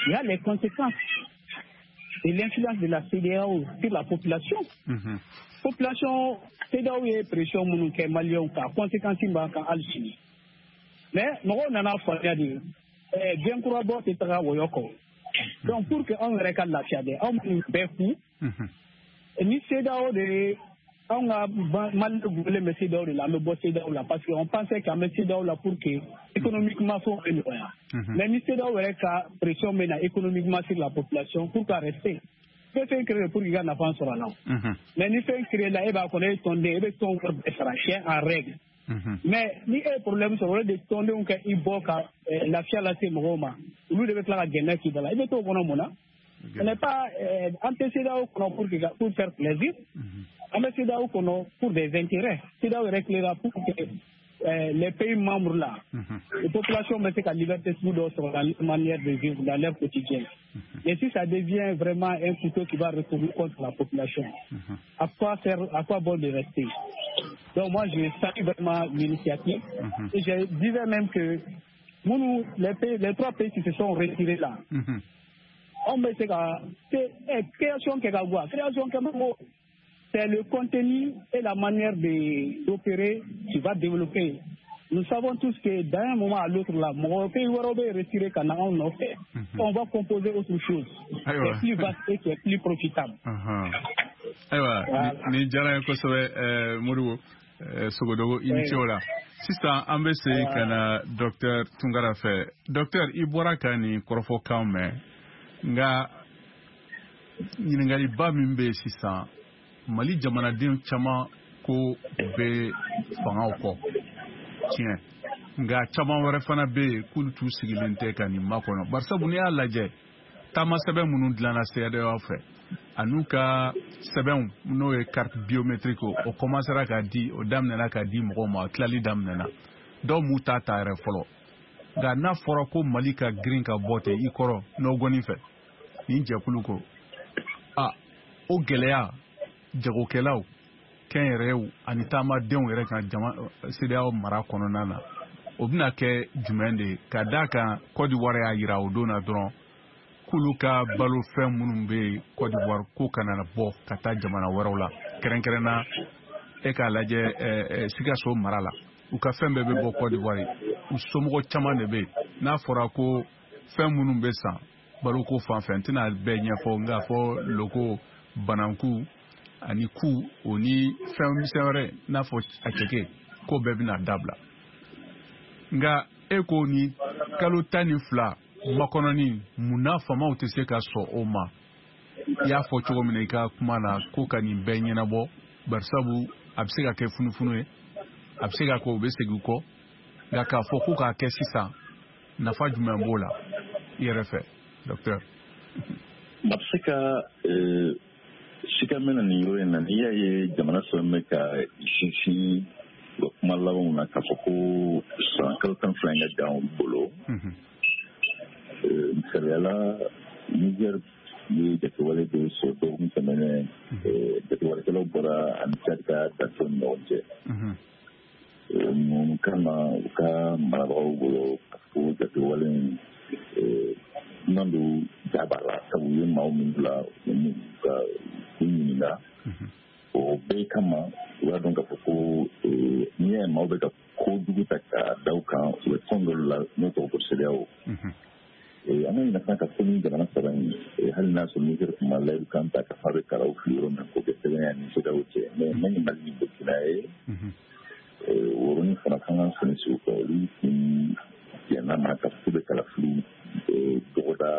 il y a les conséquences de l'influence de la CEDEAO sur la population. Population, CEDEAO ye pression minnu kɛ maliyɛnw kan, conséquence b'an kan hali sini. Mais mɔgɔw nana faamuya de, diɲɛ kura bɔ tɛ taga wɔyɔ kɔ. Donc pour que anw yɛrɛ ka lafiya dɛ, anw minnu bɛɛ ku ni CEDEAO de ye, anw ka Mali gulen bɛ CEDEAO de la, an bɛ bɔ CEDEAO la, parce que on pensait qu'an bɛ CEDEAO la pour que économiquement fɛnw bɛ nɔgɔya. Mais ni CEDEAO yɛrɛ ka pression bɛ na économiquement sur la population, pour ka rester, i bɛ fɛn créer pour k'i ka nafa sɔrɔ a la. Mais ni fɛn créer la, e b'a kɔnɔ, e ye tɔnden, e bɛ tɔn wari bɛɛ sara, c'est en règle. Mais ni e ye problème sɔrɔ, o de tɔndenw kɛ i bɔ ka lafiya lase mɔgɔw ma, olu de bɛ tila ka gɛnɛ k'i da la, i bɛ t'o kɔnɔ mun na? Ce n'est pas an tɛ CEDEAO kɔnɔ pour que pour faire plaisir. An bɛ CEDEAO kɔnɔ pour des intérêts. CEDEAO yɛrɛ créera pour que euh, les pays membres là, les populations bɛ se ka liberté sugu dɔw sɔrɔ dans leur manière de vivre, dans leur quotidien. Mais si ça devient vraiment un couteau qui va retourner contre la population, à quoi faire, à quoi bon de rester? Donc moi, je salue vraiment l'initiative. Et je disais même que nous, les pays, les trois pays qui se sont retirés là, on bɛ se ka création kɛ ka bɔ, création kɛ mako, c'est le contenu et la manière de d'opérer qui va développer. Nous savons tous que d'un moment à l'autre là, mɔgɔ pays wɛrɛw bɛ retirer ka na anw nɔfɛ, on va composer autre chose qui est plus vaste et qui est plus profitable. Ayiwa, nin diyara n ye kosɛbɛ, Modibo Sogodogo, i ni ce o la. Sisan an bɛ segin ka na docteur Tunkara fɛ. Docteur, i bɔra ka nin kɔrɔfɔkan mɛn, nka ɲininkaliba min bɛ yen sisan, Mali jamanaden caman ko bɛ fangaw kɔ tiɲɛ, nka caman wɛrɛ fana bɛ yen k'olu t'u sigilen tɛ ka nin makɔnɔ, barisabu n'i y'a lajɛ, taama sɛbɛn minnu dilanna CEDEAO fɛ an'u ka sɛbɛnw, n'o ye carte biométrique, o commencera ka di, o daminɛna ka di mɔgɔw ma, o tilali daminɛna, dɔw m'u ta ta yɛrɛ fɔlɔ. Nka n'a fɔra ko Mali ka girin ka bɔ ten i kɔrɔ nɔgɔnin fɛ nin jɛkulu ko, a o gɛlɛya jagokɛlaw, kɛnyɛrɛyew ani taamadenw yɛrɛ kan jama CEDEAO mara kɔnɔna na, o bɛna kɛ jumɛn de ye? Ka d'a kan Côte d'Ivoire y'a yira o don na dɔrɔn k'olu ka balofɛn minnu bɛ yen Côte d'Ivoire, k'o kana bɔ ka taa jamana wɛrɛw la, kɛrɛnkɛrɛnna e k'a lajɛ Sikaso mara la, u ka fɛn bɛɛ bɛ bɔ Côte d'Ivoire, u somɔgɔ caman de bɛ yen. N'a fɔra ko fɛn minnu bɛ san baloko fan fɛ, n tɛna bɛɛ ɲɛfɔ, nka fɔ loko, bananku ani ku, o ni fɛn misɛn wɛrɛ n'a fɔ a cɛkɛ, k'o bɛɛ bɛna dabila. Nka e ko ni kalo tan ni fila makɔnɔni, munna faamaw tɛ se ka sɔn o ma? I y'a fɔ cogo min na i ka kuma na, ko ka nin bɛɛ ɲɛnabɔ, barisabu a bɛ se ka kɛ funufunu ye, a bɛ se ka kɛ u bɛ segin kɔ, nka k'a fɔ ko k'a kɛ sisan, nafa jumɛn b'o la i yɛrɛ fɛ, docteur? A bɛ se ka sika mɛn na nin yɔrɔ in na. N'i y'a ye jamana saba bɛ ka sinsin u ka kuma labanw na k'a fɔ ko san kalo tan fila in ka jan u bolo, misaliya la, Niger ye jateewale dɔw sɔrɔ dɔgɔkun tɛmɛnen, jateewalekɛlaw bɔra ani Tchad ka dancɛw ni ɲɔgɔn cɛ. Mun kama u ka marabagaw bolo k'a fɔ ko jateewale in dunan don ja b'a la, sabu u ye maaw min bila u ka u ɲininka. O bɛɛ kama u y'a dɔn k'a fɔ ko n'i y'a ye maaw bɛ ka kojugu ta k'a da u kan, u bɛ tɔn dɔ la n'o tɔgɔ ko CEDEAO. An ka ɲina fana ka fɔ ni jamana saba in, hali n'a sɔrɔ Niger tun ma layidu kan ta ka fɔ a bɛ kalaw fili yɔrɔ min k'o kɛ sɛbɛn ni CEDEAO cɛ, mais min ye Mali ni Burkina ye, o yɔrɔnin fana f'an ka sɔnni sigi o kan. Olu tun jɛnna ma ka fɔ k'u bɛ kalafili dɔgɔda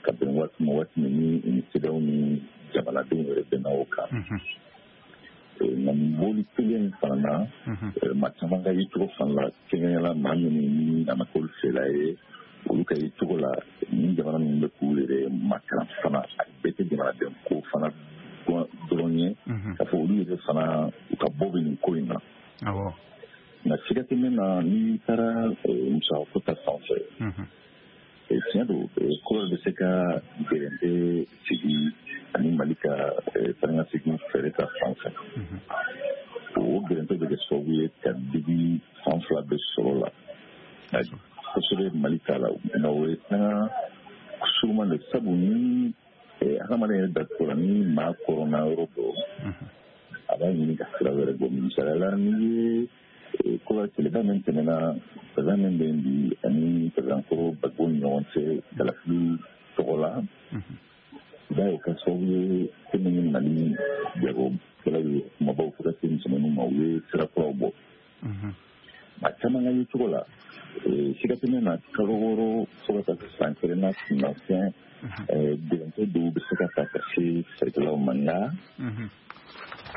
ka bɛn waati ma, waati min ni CEDEAO ni jamanadenw yɛrɛ bɛnna o kan. Nka nin bɔli kelen in fana na, maa caman ka yecogo fana la, kɛrɛnkɛrɛnnenya la maa minnu ni a ma k'olu fɛla ye, olu ka yecogo la nin jamana ninnu bɛ k'u yɛrɛ makaran fana, a bɛɛ tɛ jamanaden ko fana dɔrɔn ye, k'a fɔ olu yɛrɛ fana u ka bɔ bɛ nin ko in na. Nka siga tɛ min na, n'i taara musakako ta fan fɛ, tiɲɛ don, ko bɛ se ka gɛrɛntɛ sigi ani Mali ka taa-ni-ka-segin fɛɛrɛ ta fan fɛ. O gɛrɛntɛ bɛ kɛ sababu ye ka digi fan fila bɛɛ sɔrɔ la kosɛbɛ Mali ta la. Nka o ye sanga suruman de, sabu ni hadamaden yɛrɛ dacogo la, ni maa kɔrɔnna yɔrɔ dɔ, a b'a ɲini ka sira wɛrɛ bɔ. Misaliya la, n'i ye ko tileba min tɛmɛna, président min bɛ yen bi ani président kɔrɔ Gbagbo ni ɲɔgɔn cɛ kalafili tɔgɔ la, i b'a ye o kɛra sababu ye fɛn min ye Mali jagokɛlaw ye, kumabaw fo ka se misɛnmaninw ma, u ye sira kuraw bɔ. Maa caman ka yecogo la, siga tɛ min na, kalo wɔɔrɔ fo ka taa se san kelen na kunnafɛn gɛrɛntɛ dɔw bɛ se ka ta ka se feerekɛlaw ma. Nka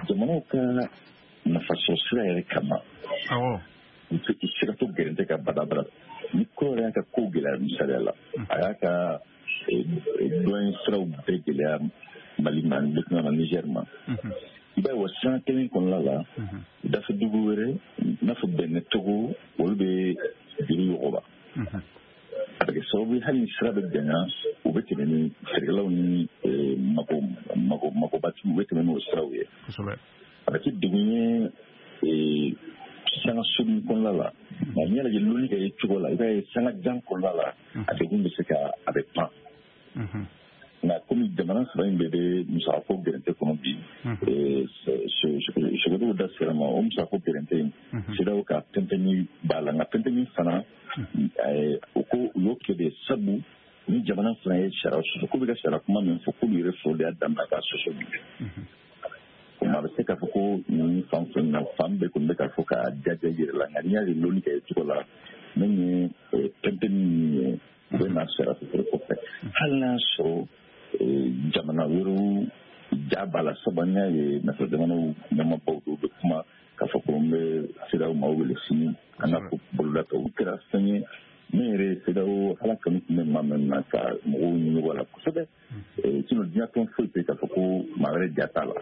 jamanaw ka nafasɔrɔ sira yɛrɛ kama, u tɛ se ka to gɛrɛntɛ ka badabada. Ni ko yɛrɛ y'a ka ko gɛlɛya, misaliya la, a y'a ka dɔn siraw bɛɛ gɛlɛya Mali ma, Burkina ma, Niger ma. I b'a ye o sira kelen kɔnɔna la, dafɛ dugu wɛrɛ i n'a fɔ Benin, Togo, olu bɛ juru yɔgɔba. A bɛ kɛ sababu ye hali ni sira bɛ janya, u bɛ tɛmɛ ni feerekɛlaw ni mako mako makobatigiw, u bɛ tɛmɛ n'o siraw ye. A bɛ kɛ degun ye sanga surun kɔnɔna la, nka n'i y'a lajɛ lonni ka ye cogo la, i b'a ye sanga jan kɔnɔna la, a degun bɛ se ka a bɛ pan. Nka komi jamana saba in bɛɛ bɛ musakako gɛrɛntɛ kɔnɔ bi, Sogodogo da sera ma, o musakako gɛrɛntɛ in, CEDEAO ka pɛnpɛnni b'a la. Nka pɛnpɛnni fana, o ko u y'o kɛ de sabu ni jamana fana ye sariya sɔsɔ, k'u bɛ ka sariya kuma min fɔ, k'olu yɛrɛ fɔlɔ de y'a daminɛ k'a sɔsɔ bi. A bɛ se k'a fɔ ko nin fan fɛn na, fan bɛɛ kɔni bɛ k'a fɔ k'a jaja yɛrɛ la. Nka n'i y'a ye lonni kɛ cogo la, min ye pɛnpɛnni min ye, u bɛ na sariya sɔsɔ kɔfɛ, hali n'a sɔrɔ jamana wɛrɛw ja b'a la. Sabu an y'a ye nafa jamanaw ɲɛmaabaw dɔw bɛ kuma k'a fɔ ko n bɛ CEDEAO maaw wele sini an ka ko boloda ta. O kɛra fɛn ye min yɛrɛ ye CEDEAO ala kanu tun bɛ maa min na ka mɔgɔw ɲini la kosɛbɛ. Sinon diɲɛ tɔn foyi tɛ k'a fɔ ko maa wɛrɛ ja t'a la,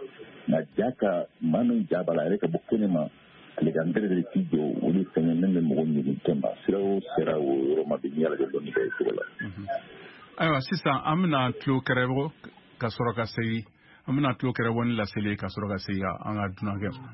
nka ja ka maa min ja b'a la, a yɛrɛ ka bɔ kɛnɛ ma, ale ka n tɛrɛ k'i jɔ, o de fɛn ye min bɛ mɔgɔw ɲini tɛ ma. Sira o sera o yɔrɔ ma bi, n'i y'a lajɛ dɔɔni kɛ cogo la. Ayiwa, sisan an bɛna tulo kɛrɛbɔ ka sɔrɔ ka segin, an bɛna tulo kɛrɛbɔ ni laseli ka sɔrɔ ka segin an ka dunankɛ ma.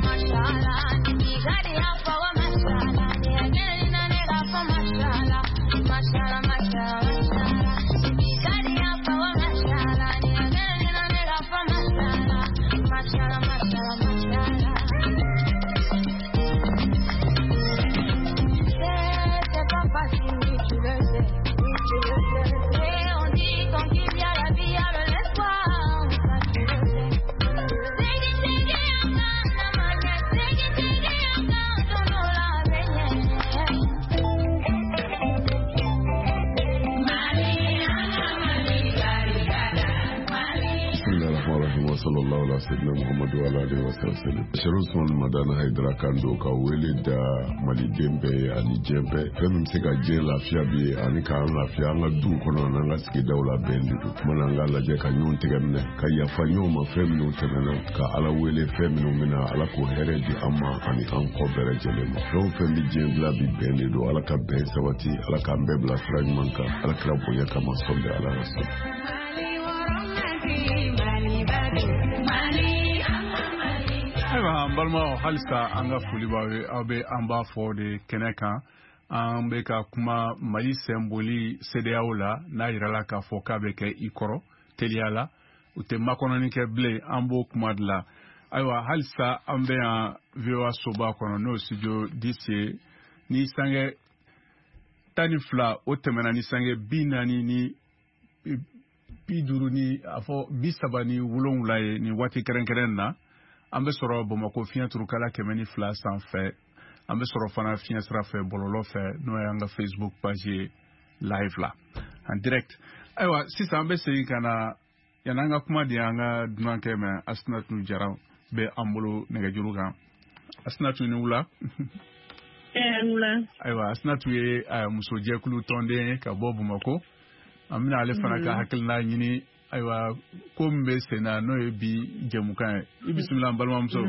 Mashallah, Sallallahu ala sayyidina Muhammadu wa ala alihi wa sallam. Sherif Usman Madani Haidara kan don ka wele da maliden bɛɛ ye ani diɲɛ bɛɛ. Fɛn min bɛ se ka diɲɛ lafiya bi ye ani k'an lafiya an ka duw kɔnɔ n'an ka sigidaw la bɛn de don. Kuma na an k'a lajɛ ka ɲɔgɔn tɛgɛ minɛ ka yafa ɲɔgɔn ma fɛn minnu tɛmɛna ka Ala wele fɛn minnu bɛna Ala k'o hɛrɛ di an ma ani an kɔ bɛɛ lajɛlen ma. Fɛn o fɛn bɛ diɲɛ dilan bi bɛn de don. Ala ka bɛn sabati, Ala k'an bɛɛ bila sira ɲuman kan, Ala kira bonya kama sɔli ala rasul. Ayiwa an balimaw, halisa an ka foli b'aw ye, aw bɛ an b'a fɔ de kɛnɛ kan. An bɛ ka kuma Mali senboli CEDEAO la, n'a yirala k'a fɔ k'a bɛ kɛ i kɔrɔ teliya la, u tɛ makɔnɔni kɛ bilen, an b'o kuma de la. Ayiwa halisa an bɛ yan V O A soba kɔnɔ, n'o studio D C ye. Ni sange tan ni fila o tɛmɛna ni sange bi naani ni bi duuru ni a fɔ bi saba ni wolonwula ye nin waati kɛrɛnkɛrɛn na, an bɛ sɔrɔ Bamakɔ fiɲɛ turukala kɛmɛ ni fila sanfɛ. An bɛ sɔrɔ fana fiɲɛ sira fɛ bɔlɔlɔ fɛ, n'o y'an ka Facebook page ye live la en direct. Ayiwa sisan an bɛ segin ka na yan'an ka kuma di an ka dunankɛ ma, Asinatu Jara bɛ an bolo nɛgɛjuru kan. Asinatu, ni wula. Ayiwa Asinatu ye musojɛkulu tɔnden ye ka bɔ Bamakɔ. An bɛna ale fana ka hakilina ɲini. Ayiwa ko min bɛ sen na n'o ye bi jɛmukan ye. I bisimila an balimamuso.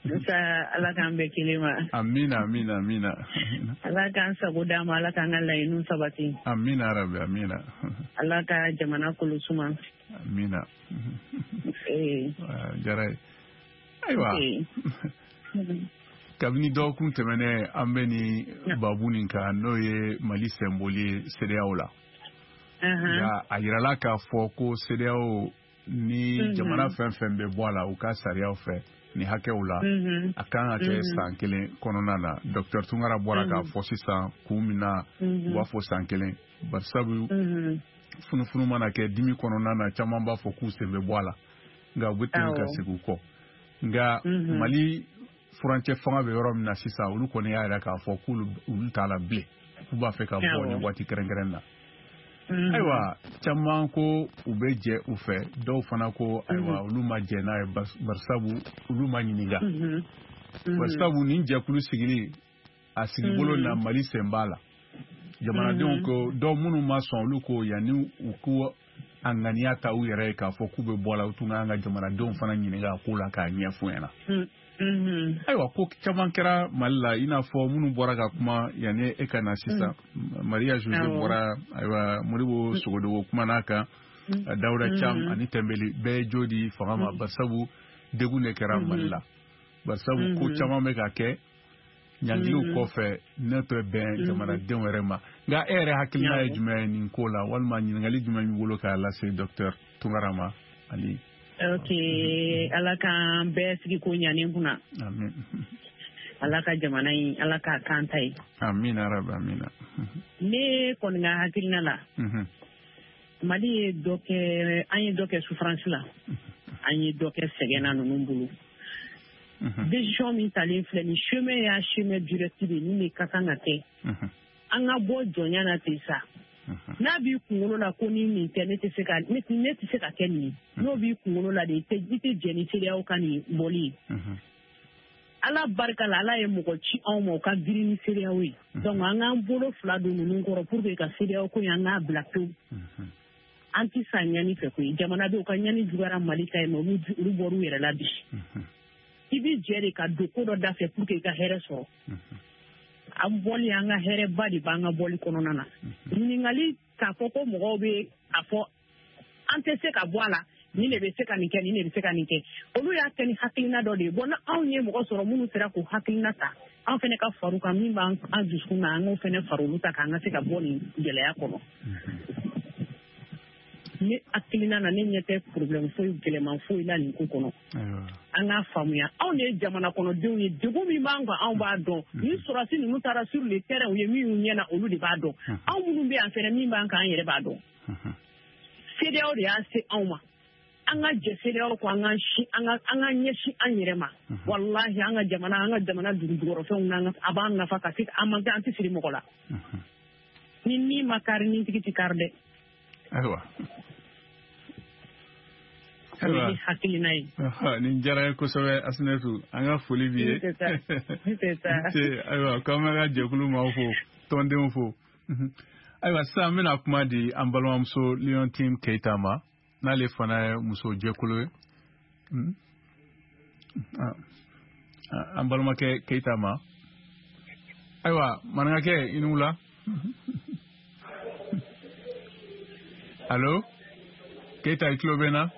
Musa, Ala k'an bɛɛ kelen ma. Amina amina amina. Ala k'an sago d'an ma, Ala k'an ka laɲiniw sabati. Amina rabi amina. Ala ka jamana kolo suma. Amina. Ee. Jara ye. Ayiwa. Kabini dɔgɔkun tɛmɛnen an bɛ nin babu nin kan, n'o ye Mali senboli ye CEDEAO la. Nka a yirala k'a fɔ ko CEDEAO ni jamana fɛn fɛn bɛ bɔ a la u ka sariyaw fɛ ni hakɛw la, a kan ka kɛ san kelen kɔnɔna na. Docteur Tunkara bɔra k'a fɔ sisan kun min na u b'a fɔ san kelen, barisabu funufunu mana kɛ dimi kɔnɔna na, caman b'a fɔ k'u sen bɛ bɔ a la, nka u bɛ tɛmɛ ka segin u kɔ. Nka Mali furancɛ fanga bɛ yɔrɔ min na sisan, olu kɔni y'a yira k'a fɔ k'olu olu t'a la bilen, k'u b'a fɛ ka bɔ nin waati kɛrɛnkɛrɛn na. Ayiwa caman ko u bɛ jɛ u fɛ, dɔw fana ko ayiwa olu ma jɛ n'a ye, barisabu olu ma ɲininka. Barisabu nin jɛkulu sigili a sigibolo na Mali sen b'a la. Jamanadenw ko dɔw minnu ma sɔn, olu ko yanni u ko a ŋaniya ta u yɛrɛ ye k'a fɔ k'u bɛ bɔ a la, u tun k'an ka jamanadenw fana ɲininka a ko la k'a ɲɛf'u ɲɛna. Ayiwa ko caman kɛra Mali la, i n'a fɔ minnu bɔra ka kuma yanni e ka na sisan. Maria Jose bɔra, ayiwa Modibo Sogodogo kumana kan, Dawuda Cam ani Tɛnbeli bɛɛ ye jo di fanga ma, barisabu degun de kɛra Mali la. Barisabu ko caman bɛ ka kɛ ɲangiliw kɔfɛ ne tɛ bɛn jamanadenw yɛrɛ ma. Nka e yɛrɛ hakilina ye jumɛn ye nin ko la, walima ɲininkali jumɛn b'i bolo k'a lase docteur Tunkara ma? Ali. Ok, Ala k'an bɛɛ sigi ko ɲanen kunna. Amin. Ala ka jamana in, Ala k'a kan ta ye. Amina rabi amina. Ne kɔni ka hakilina la, Mali ye dɔ kɛ, an ye dɔ kɛ souffrance la, an ye dɔ kɛ sɛgɛn na ninnu bolo. Décision min talen filɛ nin chemin y'a chemin direct de min de ka kan ka kɛ. An ka bɔ jɔnya na ten sa. N'a b'i kunkolo la ko ni nin tɛ ne tɛ se ka ne tɛ se ka kɛ nin ye, n'o b'i kunkolo la de i tɛ i tɛ jɛn ni CEDEAO ka nin bɔli ye. Ala barika la, Ala ye mɔgɔ ci anw ma o ka girin ni CEDEAO ye. Donc an k'an bolo fila don ninnu kɔrɔ pour que ka CEDEAO ko in an k'a bila pewu. An tɛ sa ɲani fɛ koyi, jamanadenw ka ɲani juguyara Mali ta ye, mais olu olu bɔr'u yɛrɛ la bi. I b'i jɛ de ka don ko dɔ da fɛ pour que i ka hɛrɛ sɔrɔ. An bɔli, an ka hɛrɛba de b'an ka bɔli kɔnɔna na. Ɲininkali k'a fɔ ko mɔgɔw bɛ a fɔ an tɛ se ka bɔ a la, nin de bɛ se ka nin kɛ, nin de bɛ se ka nin kɛ, olu y'a kɛ ni hakilina dɔ de ye. Bon, n'anw ye mɔgɔ sɔrɔ minnu sera k'o hakilina ta, an fana ka far'u kan, min b'an dusukun na, an k'o fana fara olu ta k'an ka se ka bɔ nin gɛlɛya kɔnɔ. Ne hakilina na, ne ɲɛ tɛ problème foyi gɛlɛman foyi la nin ko kɔnɔ. An k'a faamuya, anw de ye jamana kɔnɔdenw ye, degun min b'an kan anw b'a dɔn. Ni sɔrɔdasi ninnu taara sur le terrain, u ye min y'u ɲɛ na, olu de b'a dɔn. Anw minnu bɛ yan fɛnɛ, min b'an kan, an yɛrɛ b'a dɔn. CEDEAO de y'a se anw ma. An ka jɛ CEDEAO kɔ, an ka an ka an ka ɲɛsin an yɛrɛ ma. Walahi an ka jamana, an ka jamana dugujukɔrɔfɛnw n'an ka a b'an nafa ka se an man an tɛ siri mɔgɔ la. Ni min ma kari, ni tigi tɛ kari dɛ. Ayiwa. O ye ne hakilina ye. Nin diyara n ye kosɛbɛ Asinetu, an ka foli b'i ye. Ayiwa, k'an bɛ ka jɛkulu maaw fo, tɔndenw fo. Ayiwa, sisan n bɛna kuma di an balimamuso Leontine Keita ma, n'ale fana ye muso jɛkulu ye. An balimakɛ Keita ma. Ayiwa, maninkakɛ, i ni wula. Allo, Keita, i tulo bɛ n na?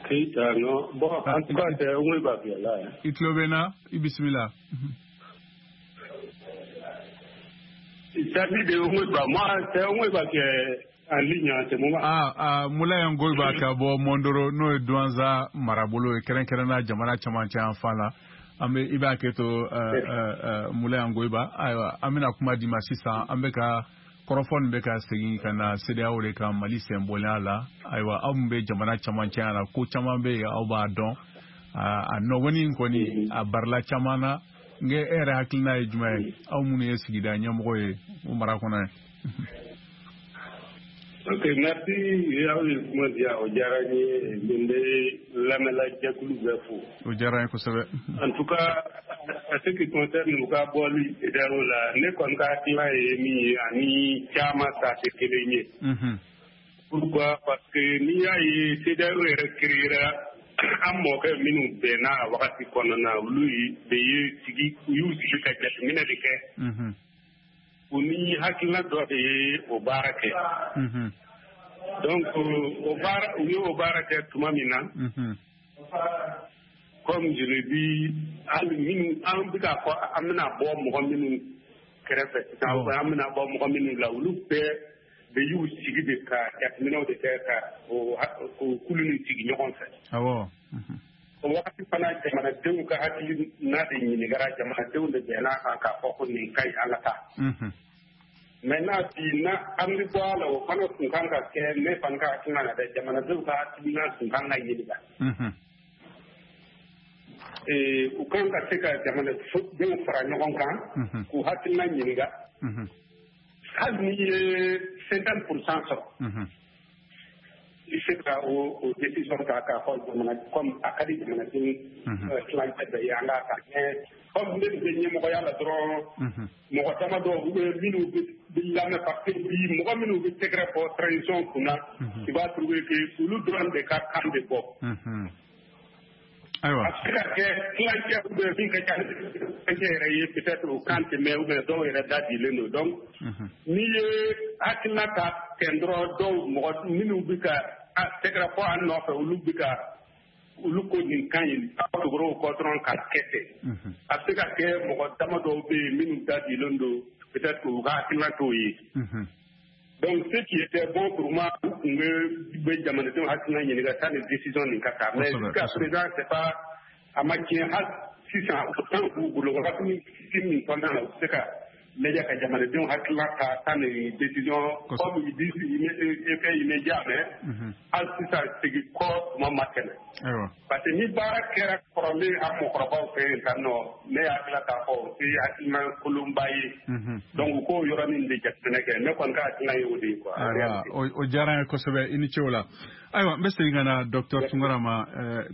Keita, non. Bon, en tout cas, c'est Ongoiba qui est là. I tulo bɛ n na? I bisimila. Il s'agit de Ongoiba. Moi, c'est Ongoiba qui est en ligne en ce moment. Ah, ah, Moulaye Ongoiba ka bɔ Mondoro, n'o ye Douentza marabolo ye, kɛrɛnkɛrɛnnenya jamana cɛmancɛ yanfan la. An bɛ i b'a kɛ to Moulaye Ongoiba. Ayiwa, an bɛna kuma d'i ma sisan. An bɛ ka kɔrɔfɔ nin bɛ ka segin ka na CEDEAO de kan, Mali senbɔlenya la. Ayiwa, aw min bɛ jamana cɛmancɛ la, ko caman bɛ yen aw b'a dɔn. A nɔgɔni in kɔni a barila caman na. Nka e yɛrɛ hakilina ye jumɛn ye, aw minnu ye sigida ɲɛmɔgɔ ye o mara kɔnɔ ye? Ok, merci. Aw ye kuma di yan, o diyara n ye. N bɛ lamɛnla jɛkulu bɛɛ fo. O diyara n ye kosɛbɛ. En tout cas, à ce qui concerne u ka bɔli CEDEAO la, ne kɔni ka hakilina ye min ye, ani caman ta tɛ kelen ye. Pourquoi? Parce que n'i y'a ye CEDEAO yɛrɛ créera, an mɔkɛ minnu bɛnna a wagati kɔnɔna na, olu de ye sigi, u y'u sigi ka jateminɛ de kɛ. U ni hakilina dɔ de ye o baara kɛ. Donc o baara, u ye o baara kɛ tuma min na, comme je l'ai dit, hali minnu an bɛ k'a fɔ an bɛna bɔ mɔgɔ minnu kɛrɛfɛ sisan, an bɛna bɔ mɔgɔ minnu la, olu bɛɛ de y'u sigi de ka jateminɛw de kɛ ka o kulu nin sigi ɲɔgɔn fɛ. Awɔ. O wagati fana jamanadenw ka hakilina de ɲininkara, jamanadenw de bɛnna a kan k'a fɔ ko nin ka ɲi, an ka taa. Maintenant bi na an bɛ bɔ a la, o fana tun kan ka kɛ, ne fana ka hakilina na dɛ, jamanadenw ka hakilina tun kan ka ɲininka. U kan ka se ka jamanadenw fara ɲɔgɔn kan k'u hakilina ɲininka. Hali n'i ye cinquante pour cent sɔrɔ, i se ka o o décision ta k'a fɔ jamana, comme a ka di jamanadenw tilancɛ bɛɛ ye, an k'a ta. Mais comme ne bɛ ɲɛmɔgɔya la dɔrɔn, mɔgɔ dama dɔw u bɛ minnu bɛ lamɛn, parce que bi mɔgɔ minnu bɛ tɛgɛrɛ fɔ transition kunna, i b'a trouver que olu dɔrɔn de ka kan bɛ bɔ. Ayiwa, a bɛ se ka kɛ tilancɛ ou bien min ka ca tilancɛ yɛrɛ ye, peut-être o kan tɛ mɛn, ou bien dɔw yɛrɛ da dilen don. Donc n'i ye hakilina ta tɛn dɔrɔn, dɔw mɔgɔ minnu bɛ ka tɛgɛrɛ fɔ an nɔfɛ, olu bɛ ka olu ko nin kan ɲi, aw tugura o kɔ dɔrɔn ka kɛ ten. A bɛ se ka kɛ mɔgɔ dama dɔw bɛ yen minnu da dilen don, peut-être u ka hakilina t'o ye. Donc ce qui était bon pour moi, u tun bɛ jamanadenw hakilina ɲininka sanni décision nin ka ta. Mais jusqu'à présent, c'est pas a ma tiɲɛ hali sisan, o temps b'u bolo wagati min kɔnɔna na, u bɛ se ka lajɛ ka jamanadenw hakilina ta sanni décision, comme ils disent effet immédiat, mais hali sisan segin kɔ tuma ma tɛmɛ. Parce que ni baara kɛra kɔrɔlen an mɔgɔkɔrɔbaw fɛ yen tan nɔ, ne hakilina t'a fɔ o tɛ hakilina kolonba ye. Donc u k'o yɔrɔnin de jateminɛ kɛ, ne kɔni ka hakilina ye o de ye quoi. Ayiwa, o diyara n ye kosɛbɛ, i ni ce o la. Ayiwa, n bɛ segin ka na docteur Tunkara ma.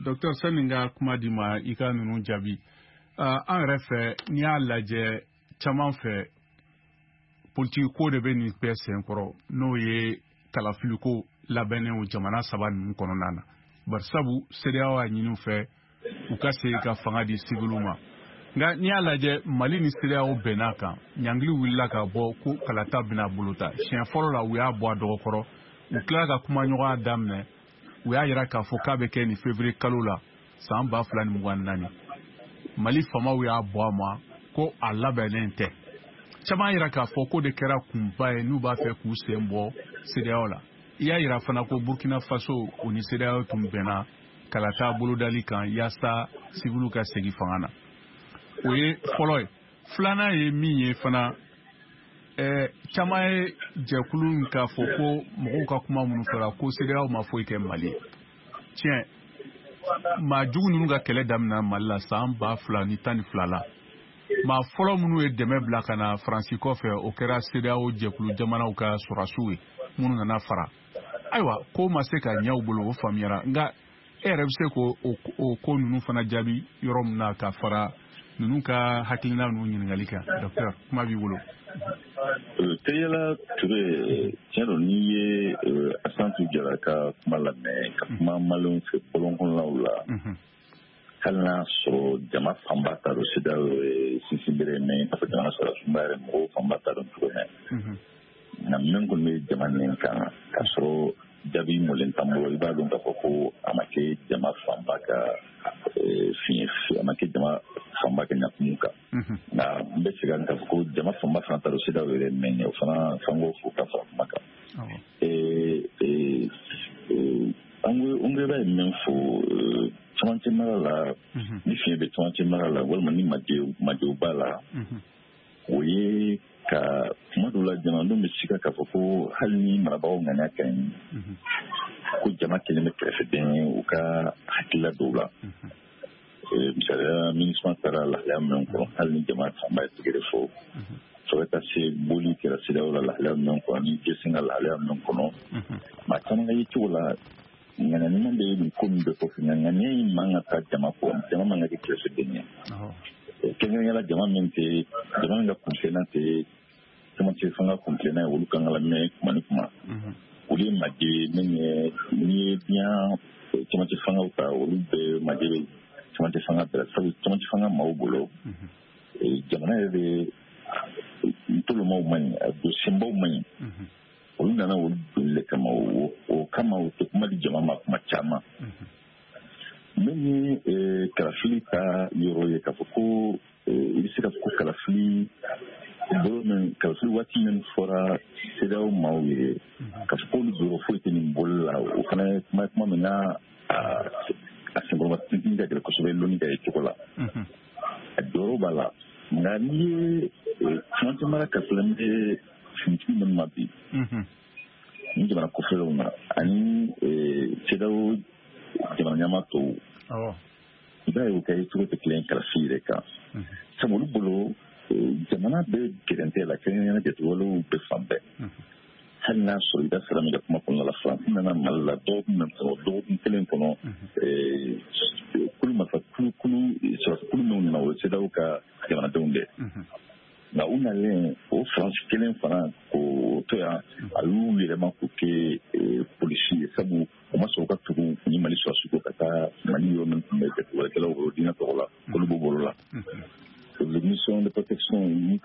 Docteur, sani n ka kuma d'i ma i ka ninnu jaabi, an yɛrɛ fɛ, n'i y'a lajɛ caman fɛ, politiki ko de bɛ nin bɛɛ senkɔrɔ, n'o ye kalafiliko labɛnnenw jamana saba ninnu kɔnɔna na. Barisabu CEDEAO y'a ɲini u fɛ u ka segin ka fanga di siwiliw ma. Nka n'i y'a lajɛ, Mali ni CEDEAO bɛnn'a kan, ɲangili wulila ka bɔ ko kalata bɛna bolota. Siɲɛ fɔlɔ la, u y'a bɔ a dɔgɔkɔrɔ, u tilala ka kumaɲɔgɔnya daminɛ, u y'a yira k'a fɔ k'a bɛ kɛ nin février kalo la san ba fila ni mugan ni naani. Mali faamaw y'a bɔ a ma ko a labɛnnen tɛ. Caman yira k'a fɔ k'o de kɛra kunba ye n'u b'a fɛ k'u sen bɔ CEDEAO la. I y'a yira fana ko Burkina Faso o ni CEDEAO tun bɛnna kalata bolodali kan yaasa siwiliw ka segin fanga na. O ye fɔlɔ ye. Filanan ye min ye fana, ɛɛ caman ye jɛkulu in k'a fɔ ko mɔgɔw ka kuma minnu fɔra ko CEDEAO ma foyi kɛ Mali ye. Tiɲɛ, maa jugu ninnu ka kɛlɛ daminɛ Mali la san ba fila ni tan ni fila la. Maa fɔlɔ minnu ye dɛmɛ bila ka na Faransi kɔfɛ, o kɛra CEDEAO jɛkulu jamanaw ka sɔrɔdasiw ye minnu nana fara. Ayiwa, ko ma se ka ɲɛ u bolo, o faamuyara, nka e yɛrɛ bɛ se k'o o ko ninnu fana jaabi yɔrɔ min na ka fara ninnu ka hakilina ninnu ɲininkali kan, docteur, kuma b'i bolo. Teriyala Ture, tiɲɛ don, n'i ye Asantu Jara ka kuma lamɛn ka kuma maliyɛnw fɛ bɔlɔn kɔnɔnaw la, hali n'a sɔrɔ jama fanba t'a dɔn CEDEAO ye sinsin bere mais i n'a fɔ jamana sɔrɔ sunba yɛrɛ mɔgɔw fanba t'a dɔn cogo min, nka min kɔni bɛ jama nin kan k'a sɔrɔ jaabi mɔlen t'an bolo, i b'a dɔn k'a fɔ ko a ma kɛ jama fanba ka fiɲɛ, a ma kɛ jama fanba ka ɲakumu kan. Nka n bɛ segin k'a fɔ ko jama fanba fana t'a dɔn CEDEAO yɛrɛ mɛn ye, o fana f'an k'o fo ka fara kuma kan. An ko i b'a ye min fɔ camancɛ mara la, ni fiɲɛ bɛ camancɛ mara la walima ni majɛw b'a la, o ye ka kuma dɔw la jamanadenw bɛ sika k'a fɔ ko hali ni marabagaw ŋaniya ka ɲi, ko jama kelen bɛ kɛrɛfɛden ye u ka hakilila dɔw la. Misaliya, MINUSMA taara lahalaya min kɔnɔ, hali ni jama fanba ye tigɛrɛ fɔ, fo ka taa se boli kɛra CEDEAO la lahalaya min kɔnɔ, ni G cinq ka lahalaya min kɔnɔ, maa caman ka ye cogo la ŋaniya ɲuman bɛ nin ko min bɛɛ kɔfɛ, nka ŋaniya in man ka taa jama kɔ, jama man ka kɛ kɛrɛfɛden ye, kɛrɛnkɛrɛnnenya la jama min tɛ jama min ka kuntilenna tɛ camancɛ fanga kuntilenna ye, olu kan ka lamɛn kuma ni kuma. Olu ye majɛ min ye, n'i ye diɲɛ camancɛ fangaw ta, olu bɛɛ majɛ bɛ camancɛ fanga bɛɛ la, sabu camancɛ fanga maaw bolo jamana yɛrɛ de ntolomaw man ɲi, a don senbaw man ɲi, olu nana olu donni de kama. O kama u tɛ kuma di jama ma kuma caman. Min ye kalafili ta yɔrɔ ye, k'a fɔ ko i bɛ se ka fɔ ko kalafili bolo min, kalafili waati min fɔra CEDEAO maaw ye k'a fɔ k'olu jɔyɔrɔ foyi tɛ nin boli la, o fana ye kuma kuma min n'a a senkɔrɔma tintin ka gɛlɛn kosɛbɛ lɔnni ka ye cogo la, a jɔyɔrɔ b'a la. Nka n'i ye camancɛ mara ka filɛ bɛ finitigi minnu ma bi ni jamana kɔfɛlenw na ani CEDEAO jamana ɲɛmaa tɔw, i b'a ye u ka yecogo tɛ kelen kalafili yɛrɛ kan, sabu olu bolo jamana bɛ gɛrɛntɛ la, kɛrɛnkɛrɛnnenya jatigɛwalew bɛ fan bɛɛ. Hali n'a sɔrɔ i da sera min ka kuma kɔnɔna la, Faransi nana Mali la dɔgɔkun min kɔnɔ, dɔgɔkun kelen kɔnɔ, kulu marifa kulu kulu sɔrɔsi kulu minnu nana, o ye CEDEAO ka jamanadenw de. Nka u nalen, o Faransi kelen fana k'o to yan, a y'u yɛlɛma k'o kɛ polisi ye, sabu u ma sɔn u ka tugu ni Mali sɔrɔsi ko ka taa Mali yɔrɔ min tun bɛ jatigɛwalekɛlaw bolo diinɛ tɔgɔ la, olu b'u bolo la. Mission de protection, u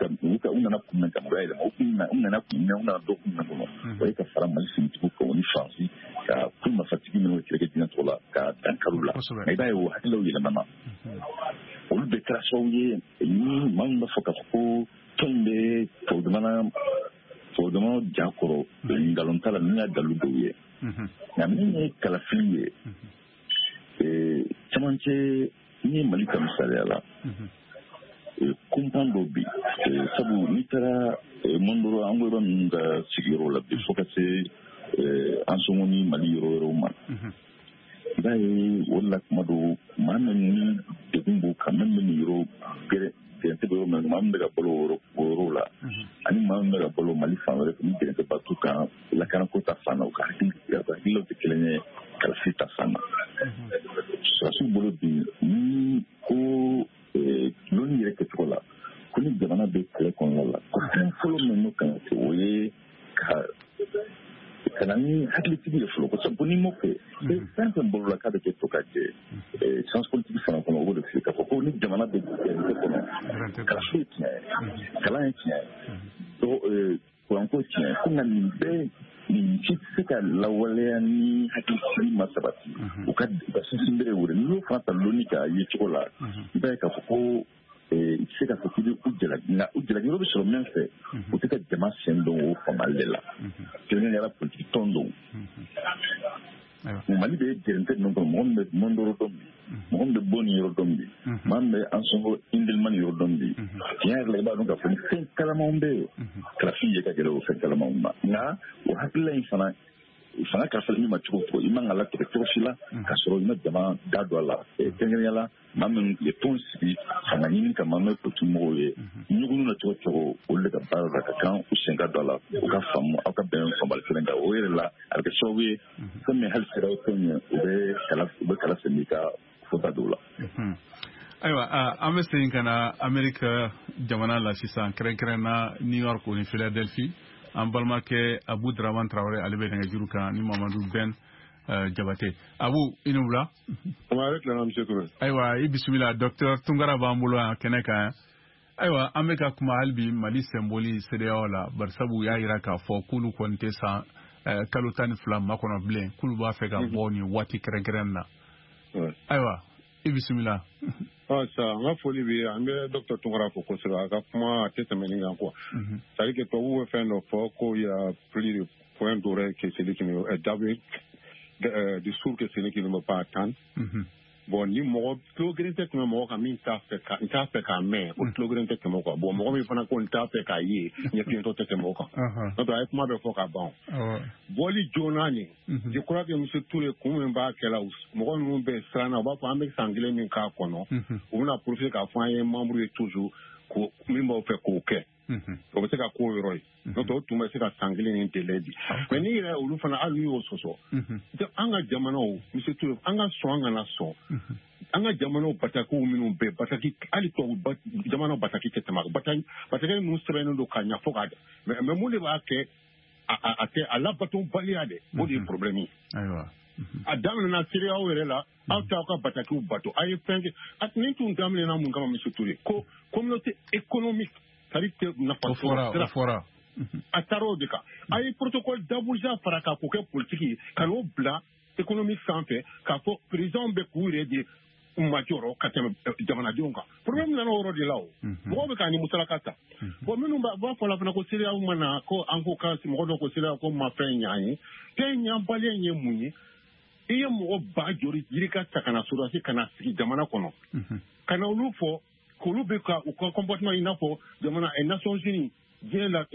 nana kun min kama, u y'a yɛlɛma. U nana kun min, u nana dɔgɔkun min kɔnɔ, o ye ka fara Mali finitigiw kan, o ni Faransi ka kulu marifatigi minnu bɛ kɛlɛ kɛ diinɛ tɔgɔ la ka dankari u la. Nka i b'a ye o hakililaw yɛlɛmana, olu bɛɛ kɛra sababu ye ni maa min b'a fɔ k'a fɔ ko tɔn in bɛ tubabu jamana tubabu jamana ja kɔrɔ, nkalon t'a la, min y'a dalu dɔw ye. Nka min ye kalafili ye camancɛ, n'i ye Mali ta misaliya la, kunpan dɔw bi, sabu n'i taara Mondoro an ko yɔrɔ ninnu ka sigiyɔrɔ la bi, fo ka se Ansongo ni Mali yɔrɔ wɛrɛw ma, i b'a ye o de la kuma dɔw maa min ni degun b'u kan, min bɛ nin yɔrɔ gɛrɛ gɛrɛntɛ bɛ yɔrɔ min, maa min bɛ ka balo o yɔrɔ la, ani maa min bɛ ka balo Mali fan wɛrɛ fɛ, ni gɛrɛntɛ ba t'u kan lakanako ta fan na, u ka hakililaw tɛ kelen ye kalafili ta fan na. Sɔrɔdasiw bolo bi, ni ko lɔnni yɛrɛ kɛcogo la, ko ni jamana bɛ kɛlɛ kɔnɔna la, ko fɛn fɔlɔ min n'o kan ka kɛ, o ye ka ka na ni hakilitigi ye fɔlɔ, ko sabu ko n'i m'o kɛ, fɛn fɛn bolo la k'a bɛ kɛ to ka jɛ science politique fana kɔnɔ, o b'o de f'i ye k'a fɔ ko ni jamana bɛ gɛrɛntɛ kɔnɔ, kalanso ye tiɲɛ ye, kalan ye tiɲɛ ye, kuranko tiɲɛ ye, ko nka nin bɛɛ nin si tɛ se ka lawaleya ni hakilisigi ma sabati. U ka u ka sinsin bere wele, n'i y'o fana ta lɔnni ka ye cogo la, i b'a ye k'a fɔ ko i tɛ se k'a fɔ k'i bɛ u jalaki, nka u jalaki yɔrɔ bɛ sɔrɔ min fɛ, u tɛ ka jama sen don o faamali de la, kɛrɛnkɛrɛnnenya la politiki tɔn dɔw. Mali bɛ gɛrɛntɛ ninnu kɔnɔ, mɔgɔ min bɛ Mondoro dɔn bi, mɔgɔ min bɛ bɔ nin yɔrɔ dɔn bi, maa min bɛ Ansongo Indelimani yɔrɔ dɔn bi, tiɲɛ yɛrɛ la, i b'a dɔn k'a fɔ ni fɛn kalamanw bɛ yen, kalafili ye ka gɛlɛn o fɛn kalamanw ma. Nka o hakilila in fana Fanga kalifalen min ma cogo o cogo, i man ka latigɛ cogo si la k'a sɔrɔ i ma jama da don a la. Kɛrɛnkɛrɛnnenya la, maa minnu ye tɔn sigi fanga ɲini kama, n'o ye politique mɔgɔw ye, ɲugunnu na cogo cogo, olu de ka baara la ka kan u sen ka don a la, u ka faamu aw ka bɛn fanbali kelen kan. O yɛrɛ la, a bɛ kɛ sababu ye fɛn min hali CEDEAO tɔn ye, u bɛ kala u bɛ kala sɛmɛ i ka fɔta dɔw la. Ayiwa, an bɛ segin ka na Amerique jamana la sisan, kɛrɛnkɛrɛn na New York ni Philadelphie. An balimakɛ Abu Dramane Traoré, ale bɛ nɛgɛjuru kan ni Mamadu Ben Jabate. Abu, i ni wula. Ayiwa, i bisimila. Docteur Tunkara b'an bolo yan kɛnɛ kan yan. Ayiwa, an bɛ ka kuma hali bi Mali sɛnboli CEDEAO la, barisabu u y'a jira k'a fɔ k'olu kɔni tɛ san kalo tan ni fila makɔnɔ bilen, k'olu b'a fɛ ka bɔ nin waati kɛrɛnkɛrɛn na. Ayiwa, i bisimila. Ah, ça, n ka foli bɛ an bɛ docteur Tunkara fo kosɛbɛ. A ka kuma a tɛ tɛmɛ nin kan quoi. C'est à dire que tubabuw bɛ fɛn dɔ fɔ ko il y a plus de point d'oreille que celui qui ne de sourd que celui qui ne veut pas entendre. Bon, ni mɔgɔ tulo kelen tɛ tɛmɛ mɔgɔ kan min t'a fɛ ka n t'a fɛ k'a mɛn, o tulo kelen tɛ tɛmɛ o kan. Bon, mɔgɔ min fana ko n t'a fɛ k'a ye, ɲɛfiyentɔ tɛ tɛmɛ o kan. N'o tɛ a ye kuma bɛɛ fɔ ka ban. Bɔli joona nin, je crois que monsieur Touré kun min b'a kɛ la, mɔgɔ ninnu bɛ siran na, u b'a fɔ an bɛ san kelen min k'a kɔnɔ, u bɛna profiter k'a fɔ an ye membre ye toujours, ko min b'aw fɛ k'o kɛ. O bɛ se ka k'o yɔrɔ ye. N'o tɛ o tun bɛ se ka san kelen ni délai di. Mais n'i yɛrɛ olu fana hali n'u y'o sɔsɔ, an ka jamanaw, monsieur Touré, an ka sɔn an kana sɔn. An ka jamanaw batakiw minnu bɛ bataki, hali tubabu jamanaw bataki tɛ tɛmɛ bataki bataki ninnu sɛbɛnnen don ka ɲɛ fo k'a mais mais mun de b'a kɛ a a tɛ a labatobaliya dɛ, o de ye problème ye. Ayiwa. A daminɛna CEDEAO yɛrɛ la, aw t'aw ka batakiw bato, a ye fɛn kɛ. Nin tun daminɛna mun kama, monsieur Touré, ko communauté économique, c'est-à-dire que nafa sɔrɔ sira a taara o de kan. A ye protocole d'Abuja fara k'a k'o kɛ politique ye, ka n'o bila économie sanfɛ, k'a fɔ président bɛ k'u yɛrɛ de majɔrɔ ka tɛmɛ jamanadenw kan. Problème nana o yɔrɔ de la o. Mɔgɔw bɛ k'a ni musalaka ta. Bon, minnu b'a fɔ la fana ko CEDEAO ma na, ko an ko ka mɔgɔ dɔ ko CEDEAO ko ma fɛn ɲ'an ye. Fɛn ɲanbaliya ye mun ye? I ye mɔgɔ ba joli yirika ta ka na sɔrɔdasi ka na sigi jamana kɔnɔ, ka na olu fɔ k'olu bɛ ka u ka comportement i n'a fɔ jamana Nations Unies, diɲɛ la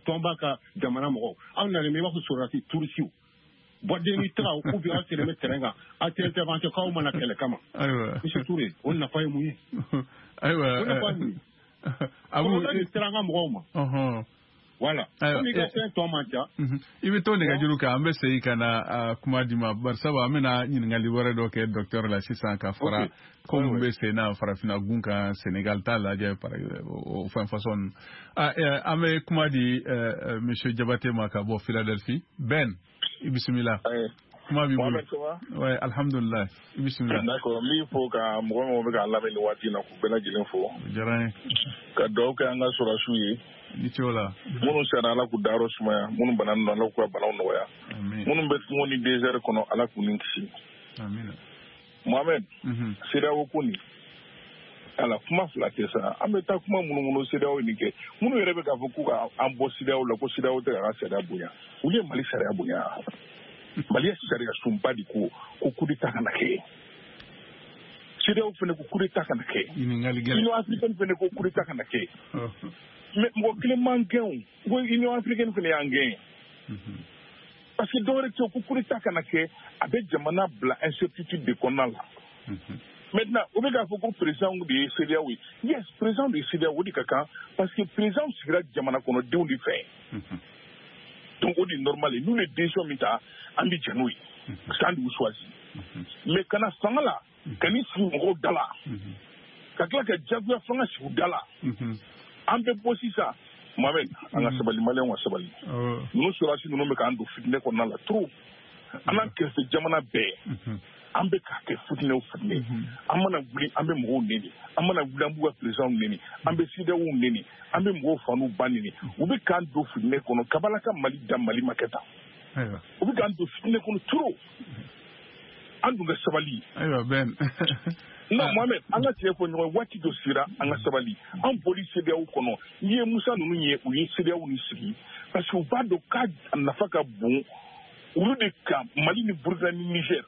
tɔnba ka jamana mɔgɔw, aw nalen bɛ i b'a fɔ sɔrɔdasi turisiw bɔden ni tagaw ou bien aw selen bɛ terrain kan, aw tɛ intervention k'aw mana kɛlɛ kama. Monsieur Touré, o nafa ye mun ye? Ayiwa, o nafa ye mun ye? Kɔlɔlɔ de sera an ka mɔgɔw ma. Voilà. Komi i ka fɛn tɔ man ca. I bɛ to nɛgɛjuru kan, an bɛ segin ka na kuma di ma, barisabu an bɛna ɲininkali wɛrɛ dɔ kɛ docteur la sisan ka fara ko min bɛ sen na farafinna gun kan, Sénégal t'a lajɛ o fɛn façon ninnu. An bɛ kuma di monsieur Jabate ma ka bɔ Philadelphie. Ben, i bisimila. Kuma b'i bolo. Ouais, alhamdulillah. I bisimila. D'accord, n b'i fo ka mɔgɔ mɔgɔ bɛ k'an lamɛn nin waati in na, k'u bɛɛ lajɛlen fo. O diyara n ye. Ka dugawu kɛ an ka sɔrɔdasiw ye. Ni ce o la. Minnu sara, Ala k'u dayɔrɔ sumaya, minnu bananen don, Ala k'u ka banaw nɔgɔya. Minnu bɛ kungo ni désert kɔnɔ, Ala k'u ni kisi. Amina. Mohamed, CEDEAO ko nin, ala kuma fila tɛ sa, an bɛ taa kuma minnu CEDEAO nin kɛ, minnu yɛrɛ bɛ k'a fɔ k'u ka an bɔ CEDEAO la, ko CEDEAO tɛ k'a ka sariya bonya, olu ye Mali sariya bonya. Mali ye sariya sunba de ko ko coup d'état kana kɛ. CEDEAO fana ko coup d'état kana kɛ. Union africaine fana ko coup d'état kana kɛ. Mais mɔgɔ kelen man gɛn o, ko Union africaine fana y'an gɛn. Parce que dɔwɛrɛ tɛ, ko coup d'état kana kɛ, a bɛ jamana bila incertitude de kɔnɔna la. Maintenant, o bɛ k'a fɔ ko président de ye CEDEAO ye. Yes, président de ye CEDEAO, o de ka kan, parce que président sigira jamana kɔnɔdenw de fɛ. Donc o de ye normal ye, n'u ye décision min ta, an bɛ jɛn n'o ye. Parce que an de y'u choisi. Mais kana fanga la, ka n'i sigi mɔgɔw da la, ka tila ka jagoya fanga sigi u da la. An bɛ bɔ sisan, Mohamed, an ka sabali, maliyɛnw ka sabali. Ninnu sɔrɔdasi ninnu bɛ k'an don fitinɛ kɔnɔna la trop. An n'an kɛrɛfɛ jamana bɛɛ, an bɛ k'a kɛ fitinɛ o fitinɛ. An mana wuli, an bɛ mɔgɔw neni. An mana wuli, an b'u ka présidents neni. An bɛ CEDEAO neni. An bɛ mɔgɔw fa n'u ba neni. U bɛ k'an don fitinɛ kɔnɔ. Kabala ka Mali da Mali ma kɛ tan. U bɛ k'an don fitinɛ kɔnɔ trop. An dun ka sabali. Ayiwa, Ben. Non, Mohamed, an ka tiɲɛ fɔ ɲɔgɔn ye, waati dɔ sera, an ka sabali. An bɔli CEDEAO kɔnɔ, n'i ye Musa ninnu ye, u ye CEDEAO ni sigi parce que u b'a dɔn k'a nafa ka bon olu de kan, Mali ni Burkina ni Niger,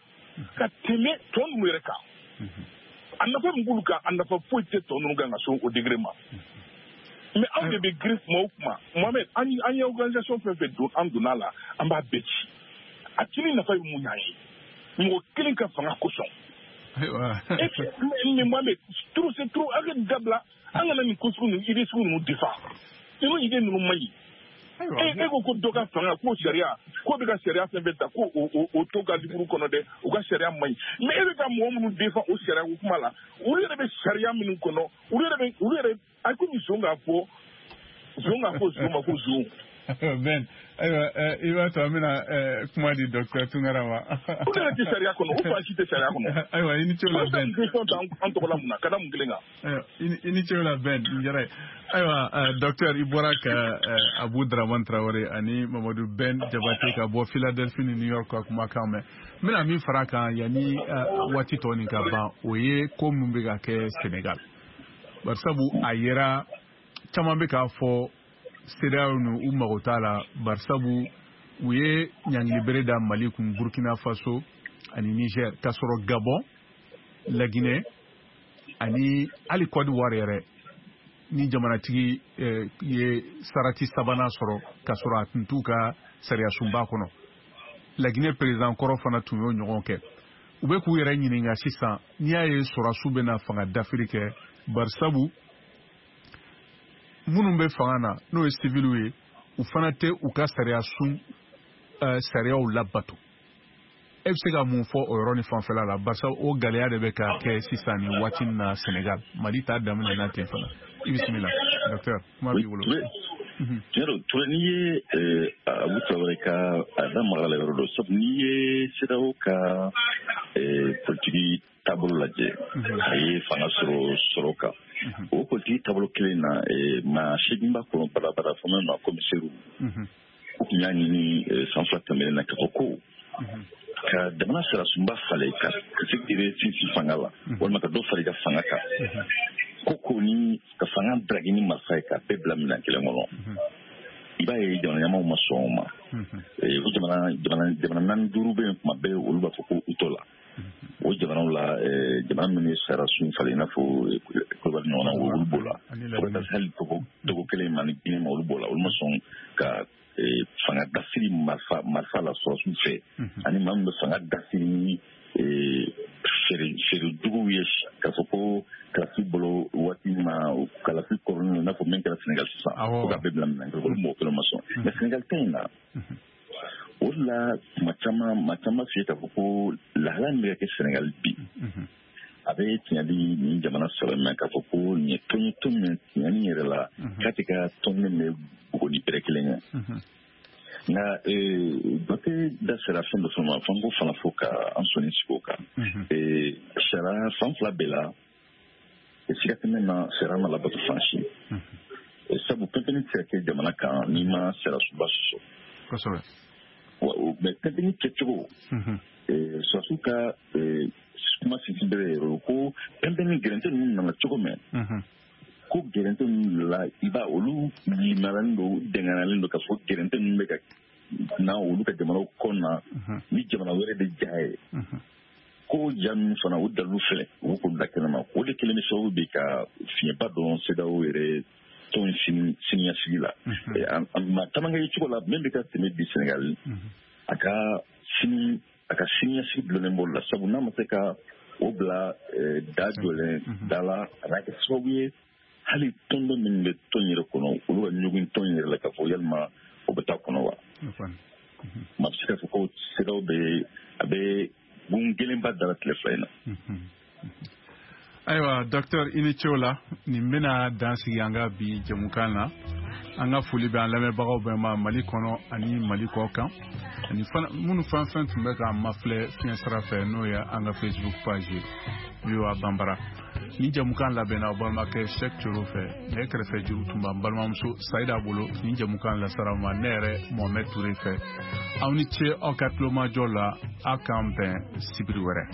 ka tɛmɛ tɔ ninnu yɛrɛ kan. A nafa min b'olu kan, a nafa foyi tɛ tɔ ninnu kan ka se o degré ma. Mais anw de bɛ girin kuma o kuma, Mohamed, an an ye organisation fɛn fɛn don, an donna a la, an b'a bɛɛ ci. A cili nafa ye mun y'an ye? Mɔgɔ kelen ka fanga kosɔn. Et mais moi, mais trop c'est trop. An ka dabila, an kana nin ko sugu ninnu, idée sugu ninnu défend. Ninnu idée ninnu man ɲi. E ko ko dɔ ka fanga, k'o sariya, k'o bɛ ka sariya fɛn fɛn ta, k'o o to ka livre kɔnɔ dɛ, u ka sariya man ɲi. Mais e bɛ ka mɔgɔ minnu défend o sariya ko kuma la, olu yɛrɛ bɛ sariya minnu kɔnɔ, olu yɛrɛ bɛ olu yɛrɛ a komi zon k'a fɔ zon k'a fɔ zon ma ko zon. Ben, ayiwa, i b'a to an bɛna kuma di docteur Tunkara ma. O yɛrɛ tɛ sariya kɔnɔ, o fan si tɛ sariya kɔnɔ. Ayiwa, i ni ce o la Ben. O an tɔgɔ la mun na, ka da mun kelen kan. Ayiwa, i ni ce o la Ben, n diyara ye. Ayiwa, docteur, i bɔra ka Abu Dramane Traoré ani Mamadu Ben Jabate ka bɔ Philadelphie ni New York ka kumakan mɛn. N bɛna min fara a kan yanni waati tɔ nin ka ban, o ye ko min bɛ ka kɛ Sénégal. Barisabu a yera caman bɛ k'a fɔ CEDEAO nu u mago t'a la, barisabu u ye ɲangilibere da Mali kun, Burkina Faso ani Niger, k'a sɔrɔ Gabon, La Guinée ani hali Côte d'Ivoire yɛrɛ ni jamanatigi ye sarati sabanan sɔrɔ k'a sɔrɔ a tun t'u ka sariyasunba kɔnɔ. La Guinée président kɔrɔ fana tun y'o ɲɔgɔn kɛ. U bɛ k'u yɛrɛ ɲininka sisan, n'i y'a ye sɔrɔsiw bɛna fanga dafiri kɛ, barisabu minnu bɛ fanga na n'o ye civiliw ye, u fana tɛ u ka sariya sun sariyaw labato. E bɛ se ka mun fɔ o yɔrɔ ni fanfɛla la, barisa o gɛlɛya de bɛ ka kɛ sisan nin waati in na Sénégal? Mali t'a daminɛ na ten fana. I bisimila docteur, kuma b'i bolo. Tiɲɛ don Ture, n'i ye Abu Traoré ka a da maga la yɔrɔ dɔ, sabu n'i ye CEDEAO ka politiki taabolo lajɛ, a ye fanga sɔrɔ sɔrɔ kan. O politiki taabolo kelen na, maa seegin b'a kɔnɔ badabada fɔ min ma commissaire, u tun y'a ɲini san fila tɛmɛnen na k'a fɔ ko ka jamana sariyasunba falen ka se k'i yɛrɛ sinsin fanga la, walima ka dɔ fara i ka fanga kan, ko ko ni ka fanga draguer ni marifa ye k'a bɛɛ bila minɛn kelen kɔnɔ. I b'a ye jamana ɲɛmaaw ma sɔn o ma. O jamana jamana jamana naani duuru bɛ yen, kuma bɛɛ olu b'a fɔ ko u t'o la. O jamanaw la, jamana minnu ye sariyasun falen i n'a fɔ Côte d'Ivoire ɲɔgɔnna, olu b'o la. Fo ka taa se hali Togo Togo kelen ma ni Guinée ma, olu b'o la. Olu ma sɔn ka fanga dasiri marifa marifa la sɔrɔsiw fɛ, ani maa min bɛ fanga dasiri ni feere feere juguw ye, k'a fɔ ko kalasi bolo waati ma kalasi kɔrɔlen i n'a fɔ min kɛra Sénégal sisan, ko ka bɛɛ bila minɛn kelen, olu mɔgɔ kelen ma sɔn. Mais Sénégal ta in na, o de la kuma caman maa caman f'i ye k'a fɔ ko lahala min bɛ ka kɛ Sénégal bi, a bɛ tiɲɛ di nin jamana saba ma, k'a fɔ ko nin ye tɔn ye, tɔn min tiɲɛ ni yɛrɛ la k'a tɛ ka tɔn min bɛ bugo ni bɛrɛ kelen ye. Nka Bate da sera fɛn dɔ fana ma, f'an k'o fana fɔ ka an sɔnni sigi o kan. Sariya fan fila bɛɛ la, siga tɛ min na, sariya ma labato fan si. Sabu pɛnpɛnni tɛ se ka kɛ jamana kan n'i ma sariyasunba sɔsɔ. Kosɛbɛ. Mais pɛnpɛnni kɛcogo, sɔrɔsiw ka kuma sinsin bɛrɛ yɛrɛ ko pɛnpɛnni gɛrɛntɛ ninnu nana cogo min, ko gɛrɛntɛ ninnu la, i b'a olu limaralen don, dɛngɛnalen don k'a fɔ gɛrɛntɛ ninnu bɛ ka na olu ka jamanaw kɔnɔ ni jamana wɛrɛ de ja ye. Ko ja ninnu fana o dalilu filɛ, u b'o bila kɛnɛma. O de kelen bɛ sababu bi ka fiɲɛba dɔn CEDEAO yɛrɛ tɔn siniɲɛsigi la. Maa caman ka ye cogo la min bɛ ka tɛmɛ bi Sénégal, a ka sini a ka siniɲɛsigi dulonnen b'o la, sabu n'a ma se ka o bila da jɔlen da la, a n'a kɛ sababu ye hali tɔndɔ minnu bɛ tɔn yɛrɛ kɔnɔ, olu ka ɲɔgɔn tɔn yɛrɛ la k'a fɔ yalima o bɛ taa kɔnɔ wa. Maa bɛ se k'a fɔ ko CEDEAO bɛ a bɛ gun kelenba dara tile fila in na. Ayiwa docteur, i ni ce o la. Nin bɛna dan sigi an ka bi jɛmukan na. An ka foli bɛ an lamɛnbagaw bɛɛ ma Mali kɔnɔ ani Mali kɔ kan, ani fana minnu fɛn fɛn tun bɛ k'an mafilɛ fiɲɛ sira fɛ, n'o ye an ka Facebook page ye V O A Banbara. Ni jɛmukan labɛnna aw balimakɛ Cheikh Thioro fɛ, ne kɛrɛfɛ juru tun b'an balimamuso Sayida bolo. Ni jɛmukan lasara ma ne yɛrɛ Mohamed Touré fɛ. Aw ni ce aw ka tulomajɔ la, aw k'an bɛn sibiri wɛrɛ.